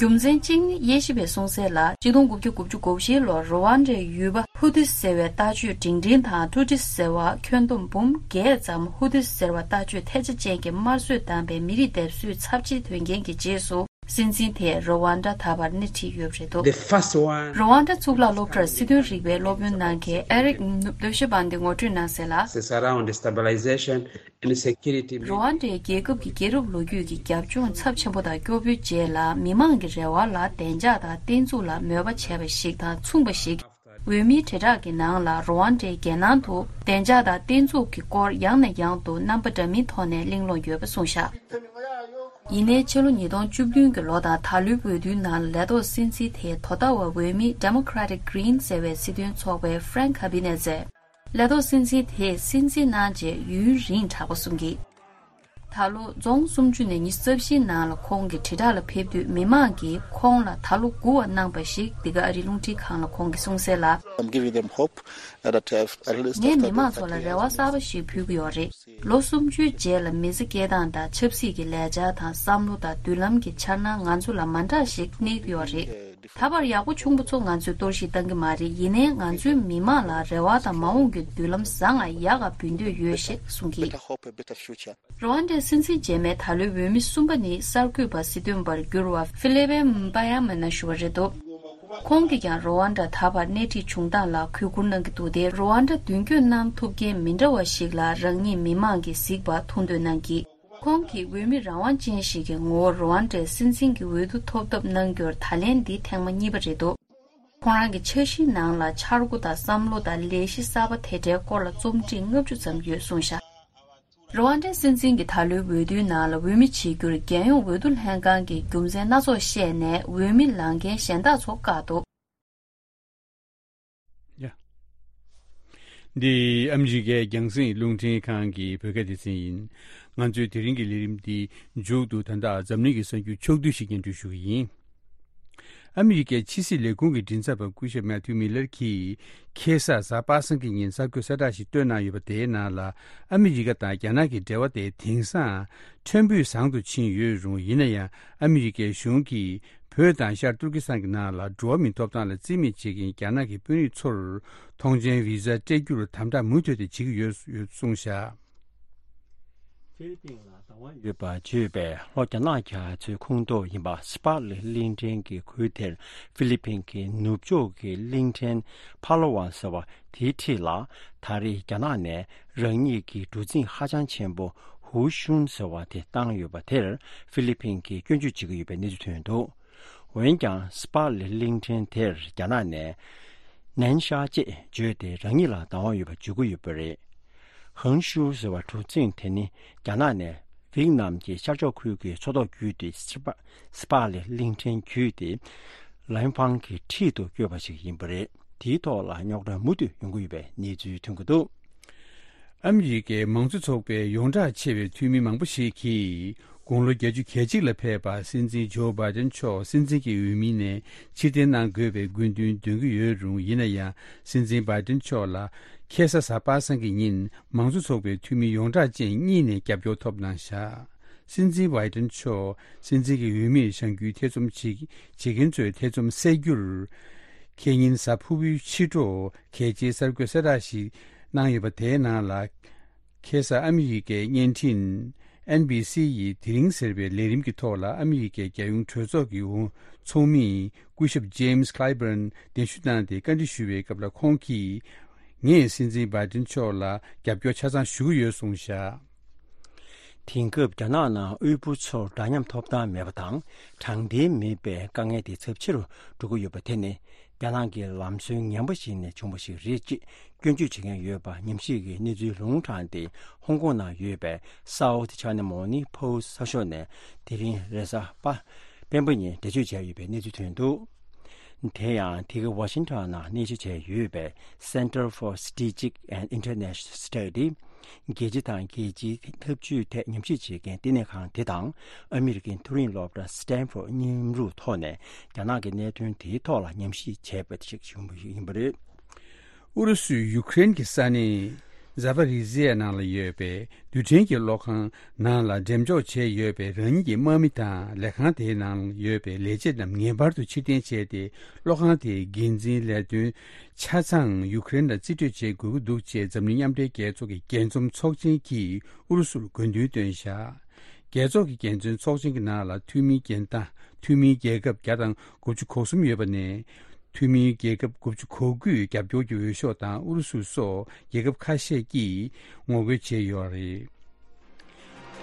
རྒྱུ་མཚན་གཅིག་ནི་དབྱེ་ཞིབ་པས་གསུངས་གསལ་ལ། གཅིག་སྟོང་དགུ་བརྒྱ་དགུ་བཅུ་གོ་བཞི་ལོར་རུ་ཝན་ཌའི་ཡུལ་པ་ཧུ་ཏི་ཟེར་བའི་ལྟ་སྤྱོད་འབྲིང་འབྲིང་དང་ཊུ་ཏི་ཟེར་བ་ཁྱོན་བསྡོམས་འབུམ་བརྒྱད་ཙམ་ཧུ་ཏི་ཟེར་བ་ལྟ་སྤྱོད་ཐལ་ཆ་ཅན་གྱི་དམར་གསོད་བཏང་པའི་མི་རིགས་སྡེབ་གསོད་ཚབས་ཆེ་ཐོན་རྐྱེན་གྱི་རྗེས་སུ། སྲིད་འཛིན་དེས་རུ་ཝན་ཌ་ད་བར་སྣེ་ཁྲིད་ཡོད་པ་རེད་འདུག The first one རུ་ཝན་ཌ་གཙུག་ལག་སློབ་གྲྭར་སྲིད་དོན་རིག་པའི་སློབ་དཔོན་གནང་མཁན་ཨེ་རིག་ནུབ་ལོ་ཤི་བན་དེ་ངོ་སྤྲོད་གནང་གསལ་ལ། It's around the stabilization and security. རུ་ཝན་ཌའི་རྒྱལ་ཁབ་ཀྱི་རྒྱལ་རབས་ལོ་རྒྱུས་ཀྱི་རྒྱབ་ལྗོངས་ཚབས་ཆེན་པོ་དང་སྐྱོ་པོའི་རྗེས་ལ་མི་མང་གི་རེ་བ་ལ་བདེ་འཇགས་དང་བརྟན་ཚུགས་ལ་མོས་པ་བྱས་པ་ཞིག་དང་མཚུངས་པ་ཞིག་འོས་མིའི་དྲིལ་བསྒྲགས་ཀྱི་ནང་ལ་རུ་ཝན་ཌའི་རྒྱལ་ནང་དུ་བདེ་འཇགས་དང་བརྟན་ཚུགས་ཀྱི་སྐོར་ཡང་ནས་ཡང་དུ་རྣམ་པ་འདྲ་མིན་ཐོག་ནས་གླེང་སློང་ཡོད་པ་གསུངས་བཞག་ཡིན་ནའི་ཕྱི་ལོ་ཉིས་སྟོང་བཅུ་བདུན་གྱི་ལོ་དང་ད་ལོའི་འོས་བསྡུའི་ནང་ལ་ལས་ཐོག་སྲིད་འཛིན་དེས་དོ་བདག་བ་འོས་མི་Democratic Green ཟེར་བའི་སྲིད་དོན་ཚོགས་པའི་Frank Habinez ལས་ཐོག་སྲིད་འཛིན་དེས་སྲིད་འཛིན་གནང་རྗེས་ཡུན་རིང་དྲག་པོ་གསུང་གིས། ད་ལོ་རྫོང་སུམ་ཅུ་ནས་ཉི་ཤུ་རྩ་བཞིའི་ནང་ལ་ཁོང་གི་དྲིལ་བསྒྲགས་ལ་ཕེབས་དུས་མི་མང་གིས་ཁོང་ལ་ད་ལོ་དགུ་བ་གནང་པ་ཞིག་འདི་ག་ཨ་རིའི་རླུང་འཕྲིན་ཁང་ལ་ཁོང་གིས་གསུངས་གསལ་ལ། I'm giving them hope that, uh, at least ངས་after མི་མང་ཚོ་ལ་རེ་བ་གསར་པ་ཞིག་ཕུལ་གྱི་ཡོད་རེད། ལོ་སུམ་ཅུའི་རྗེས་ལ་མི་ཚེ་སྐྱེལ་སྟངས་དང་ཆབ་སྲིད་ཀྱི་ལས་འཆར་དང་བསམ་བློ་དང་མདུན་ལམ་གྱི་འཆར་སྣང་ང་ཚོ་ལ་མ་འདྲ་ཞིག་གནས་ཀྱི་ཡོད་རེད། ད་བར་ཡག་པོ་བྱུང་པ་ཚོ་ང་ཚོས་གཏོར་བཤིག་བཏང་གི་མ་རེད། ཡིན་ནའི་ང་ཚོའི་མི་མང་ལ་རེ་བ་དང་མ་འོངས་ཀྱི་མདུན་ལམ་བཟང་ང་ཡག་ག་འབུལ་འདོད་ཡོད་ཞེས་གསུངས་ཀྱིས། རུ་ཝན་ཌའི་སྲིད་འཛིན་རྗེས་མའི་ད་ལོའི་འོས་མི་གསུམ་པ་ནི་གསར་འགོད་པ་སྲིད་དོན་པར་གྱུར་བ་ཧྥི་ལི་པེ་འབ་ཡ་མ་ན་ཞུ་བ་རེད་འདུག་ཁོང་གིས་ཀྱང་རུ་ཝན་ཌ་ད་བར་སྣེ་ཁྲིད་བྱུང་སྟངས་ལ་གུས་བཀུར་གནང་གི་འདུག་སྟེ། རུ་ཝན་ཌ་མདུན་སྐྱོད་གནང་ཐུབ་མཁན་མི་འདྲ་བ་ཞིག་ལ་རང་ཉིད་མི་མང་གིས་གཟིགས་པ་མཐོང་འདོད་གནང་གིས། ཁོང་གིས་འོས་མི་རང་དབང་ཅན་ཞིག་གི་ངོ་བོར་རུ་ཝན་ཌའི་སྲིད་འཛིན་གྱི་འོས་བསྡུ་ཐོབ་ཐབས་གནང་རྒྱུར་ད་ལན་འདི་ཐེངས་མ་གཉིས་པ་རེད་འདུག་ཁོང་རང་གི་འཆར་གཞིའི་ནང་ལ་འཆར་སྒོ་དང་བསམ་བློ་དང་ལས་གཞི་གསར་པ་དེ་འདྲའི་སྐོར་ལ་རྩོམ་བྲིས་ལྔ་བཅུ་ཙམ་ཡོད་གསུངས་ཤག་རུ་ཝན་ཌའི་སྲིད་འཛིན་གྱི་ད་ལོའི་འོས་བསྡུའི་ནང་ལ་འོས་མི་བྱེད་རྒྱུར་རྒྱལ་ཡོངས་འོས་བསྡུ་ལྷན་ཁང་གིས་རྒྱུ་མཚན་སྣ་ཚོགས་བཤད་ནས་འོས་མི་ལངས་མཁན་གཞན་དག་ཚོ་བཀག་འདུག་ཡ། འདི་ཨ་མི་རི་ཀའི་རྒྱང་སྲིང་རླུང་འཕྲིན་ཁང་གི་བོད་སྐད་སྡེ་ཚན་ཡིན། ང་ཚོའི་དེ་རིང་གི་ལས་རིམ་འདི་མཇུག་ཏུ་ད་ལྟ་འཛམ་གླིང་གི་གསར་འགྱུར་ཕྱོགས་བསྡུས་ཤིག་སྙན་སྒྲོན་ཞུ་གི་ཡིན། ཨ་མི་རི་ཀའི་ཕྱི་སྲིད་ལས་ཁུངས་ཀྱི་མགྲིན་ཚབ་པ་སྐུ་ཞབས་མེ་ཐིའུ་མི་ལར་གྱིས་ཁ་སང་གཟའ་པ་སངས་ཀྱི་ཉིན་གསར་འགོད་གསལ་བསྒྲགས་ཤིག་བཏོན་གནང་ཡོད་པ་དེའི་ནང་ལ། ཨ་མི་རི་ཀ་དང་རྒྱ་ནག་གི་འབྲེལ་བ་དེ་དེང་སང་ཕྲན་བུ་བཟང་དུ་ཕྱིན་ཡོད་རུང་། ཡིན་ན་ཡང་ཨ་མི་རི་ཀའི་གཞུང་གིས་བོད་དང་ཤར་ཏུར་ཀི་སི་ཐན་གྱི་ནང་ལ་འགྲོ་བ་མིའི་ཐོབ་ཐང་ལ་རྩིས་མེད་བྱེད་མཁན་རྒྱ་ནག་གི་དཔོན་རིགས་ཚོར་ཐོངས་མཆན་བི་ཟ་སྤྲད་རྒྱུར་དམ་དྲག་མུ་མཐུད་དེ་བྱེད་ཀྱི་ཡོད་ཡོད་གསུངས་བཞག་ཕི་ལི་པིན་ལ་བདག་དབང་ཡོད་པ་བརྗོད་པའི་ལྷོ་རྒྱ་ནག་རྒྱ་མཚོའི་ཁོངས་གཏོགས་ཡིན་པ་སི་པ་ལི་གླིང་ཕྲན་གྱི་ཁུལ་དེར་ཕི་ལི་པིན་གྱི་ནུབ་ཕྱོགས་ཀྱི་གླིང་ཕྲན་ཕ་ལ་ཝན་ཟེར་བ་དེའི་འཁྲིས་ལ། ད་རེས་རྒྱ་ནག་ནས་རང་ཉིད་ཀྱི་གྲུ་གཟིངས་ཧ་ཅང་ཆེན་པོ་ཧུའུ་ཤུན་ཟེར་བ་དེ་བཏང་ཡོད་པ་དེར་ཕི་ལི་པིན་གྱིས་སྐྱོན་བརྗོད་བྱེད་ཀྱི་ཡོད་པའི་གནས་ཚུལ་ཐོན་འདུག་འོན་ཀྱང་སི་པ་ལི་གླིང་ཕྲན་དེར་རྒྱ་ནག་ནས་ནན་ཤ་ཅེས་བརྗོད་དེ་རང་ཉིད་ལ་བདག་དབང་ཡོད་པ་བརྗོད་ཀྱི་ཡོད་པ་རེད། ཧང་ཤུ་ཟེར་བ་གྲུ་གཟིངས་དེ་ནི་རྒྱ་ནག་ནས་ཝེད་ནམ་གྱི་ཤར་ཕྱོགས་ཁུལ་གྱི་མཚོ་ཐོག་བརྒྱུད་དེ་སི་པ་སི་པ་ལི་གླིང་ཕྲན་བརྒྱུད་དེ་ལན་ཕང་གི་འཁྲིས་སུ་བསྐྱོད་པ་ཞིག་ཡིན་པ་རེད། དེའི་ཐོག་ལ་རྙོག་དྲ་མུ་མཐུད་ཡོང་གི་ཡོད་པའི་གནས་ཚུལ་ཐོན་གྱི་འདུག་ཨ་མི་རི་ཀའི་མང་གཙོ་ཚོགས་པའི་ཡོངས་གྲགས་ཆེ་བའི་འཐུས་མི་མང་པོ་ཞིག་གིས། དགུང་ལོ་བརྒྱད་ཅུ་གྱ་གཅིག་ལ་ཕེབས་པ་སྲིད་འཛིན་ཇོ་བྷའི་ཏན་མཆོག་སྲིད་འཛིན་གྱི་འོས་མི་ནས་ཕྱིར་འཐེན་གནང་དགོས་པའི་སྐུ་མདུན་འདོན་གྱི་ཡོད་རུང་། ཡིན་ན་ཡང་སྲིད་འཛིན་བྷའི་ཏན་མཆོག་ལ་ཁ་སང་གཟའ་པ་སངས་ཀྱི་ཉིན་མང་གཙོ་ཚོགས་པའི་འཐུས་མི་ཡོངས་གྲགས་ཅན་གཉིས་ནས་རྒྱབ་སྐྱོར་ཐོབ་གནང་བཞག་སྲིད་འཛིན་བྷའི་ཏན་མཆོག་སྲིད་འཛིན་གྱི་འོས་མིར་བཞེངས་རྒྱུའི་ཐེ་ཚོམ་བྱེད་བྱེད་མཁན་ཚོའི་ཐེ་ཚོམ་སེལ་རྒྱུར། ཁེ་ཉིན་གཟའ་ཕུར་བུའི་ཕྱི་དྲོ་གལ་ཆེའི་གསར་འགོད་གསལ་བསྒྲགས་ཤིག་གནང་ཡོད་པ་དེའི་ནང་ལ། ཁ་སང་ཨ་མི་རི་ཀའི་བརྙན་འཕྲིན་ཨེན་བྷི་སི་ཡིས་དེ་རིང་ཟེར་བའི་ལས་རིམ་གྱི་ཐོག་ལ། ཨ་མི་རི་ཀའི་རྒྱལ་ཡོངས་གྲོས་ཚོགས་ཀྱི་འོས་ཚོགས་མི་སྐུ་ཞབས་ཇེམ་སི་ཁི་ལའི་བྷན་གདན་ཞུ་གནང་སྟེ་བཀའ་འདྲི་ཞུ་བའི་སྐབས་ལ། ཁོང་གིས། ངས་སྲིད་འཛིན་བྷའི་ཏིན་མཆོག་ལ་རྒྱབ་སྐྱོར་ཆ་ཚང་ཞུ་གི་ཡོད་གསུངས་བཞག་དེང་སྐབས་རྒྱ་ནག་ནང་དབུལ་པོ་ཚོར་འདྲ་མཉམ་ཐོབ་ཐང་མེད་པ་དང་། དྲང་བདེན་མེད་པའི་དཀའ་ངལ་དེ་ཚབས་ཆེ་རུ་འགྲོ་གི་ཡོད་པ་དེ་ནི། རྒྱ་ནག་གི་ལམ་སྲོལ་ངན་པ་ཞིག་ནས་བྱུང་བ་ཞིག་རེད་ཅེས་སྐྱོན་བརྗོད་བྱེད་མཁན་ཡོད་པ་ཉམས་ཞིབ་ཀྱི་གནས་ཚུལ་ལུང་དྲངས་ཏེ། ཧོང་ཀོང་ནང་ཡོད་པའི་South China Morning Post གསར་ཤོག་ནས་དེ་རིང་རེས་གཟའ་པ་སྤེན་པ་ཉིན་འགྲེལ་བརྗོད་བྱས་ཡོད་པའི་གནས་ཚུལ་ཐོན་འདུག་དེ་ཡང་དེ་ག་ཝ་ཤིང་ཊོན་ནང་གནས་སྤོ་བྱས་ཡོད་པའི་Center for Strategic and International Study། རྒྱལ་སྤྱི་དང་རྒྱལ་སྤྱིའི་འཐབ་ཇུས་ཐད་ཉམས་ཞིབ་བྱེད་མཁན་བསྟི་གནས་ཁང་དེ་དང་། ཨ་མི་རི་ཀའི་མཐོ་རིམ་སློབ་གྲྭ་Stanford་མཉམ་རུབ་ཐོག་ནས་རྒྱ་ནག་གི་གནད་དོན་དེའི་ཐོག་ལ་ཉམས་ཞིབ་བྱས་པ་ཞིག་བྱུང་བ་ཡིན་པ་རེད། ཨུ་རུ་སུས་ཡུ་ཀེ་རེན་གྱི་ས་གནས་ཛ་པ་རི་ཟི་ཡ་ནང་ལ་ཡོད་པའི་རྡུལ་ཕྲན་གྱི་གློག་ཁང་ནང་ལ་འགྲེམས་འཇོག་བྱས་ཡོད་པའི་རང་ཉིད་ཀྱི་དམག་མི་དང་ལས་ཁང་དེའི་ནང་ཡོད་པའི་ལས་བྱེད་རྣམས་ངེས་པར་དུ་ཕྱིར་འཐེན་བྱས་ཏེ། གློག་ཁང་དེའི་འགན་འཛིན་ལས་དོན་ཆ་ཚང་ཡུ་ཀེ་རེན་ལ་རྩིས་སྤྲོད་བྱེད་དགོས་ཀྱི་འདུག་ཅེས་འཛམ་གླིང་མཉམ་འབྲེལ་རྒྱལ་ཚོགས་ཀྱི་རྒྱས་འཛོམས་ཚོགས་ཆེན་གྱིས་ཨུ་རུ་སུར་དགོས་འདུན་བཏོན་བཞག་རྒྱལ་ཚོགས་ཀྱི་རྒྱས་འཛོམས་ཚོགས་ཆེན་གྱི་ནང་ལ་འཐུས་མིའི་རྒྱན་ལྡན་འཐུས་མིའི་རྒྱལ་ཁབ་བརྒྱ་དང་དགུ་བཅུ་གོ་གསུམ་ཡོད་པ་ནས། འཐུས་མིའི་རྒྱལ་ཁབ་དགུ་བཅུ་གོ་དགུས་རྒྱབ་སྐྱོར་གྱི་འོས་ཤོག་དང་། ཨུ་རུ་སུ་སོགས་རྒྱལ་ཁབ་ཁ་ཤས་ཀྱིས་ངོ་རྒོལ་བྱས་ཡོད་རེད།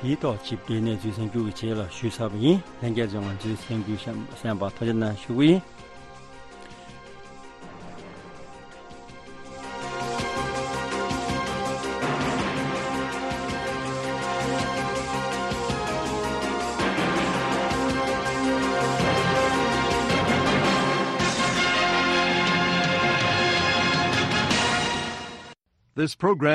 དེའི་ཐོག་ཆིབས་བསྒྱུར་གནས་ཚུལ་གསར་འགྱུར་གྱི་རྗེས་ལ་ཞུས་ཚར་བ་ཡིན། ལྷན་རྒྱས་ཚོས་ང་ཚོའི་གསར་འགྱུར་གཤམ་གསན་པར་ཐུགས་རྗེ་གནང་ཞུ་གི་ཡིན། This program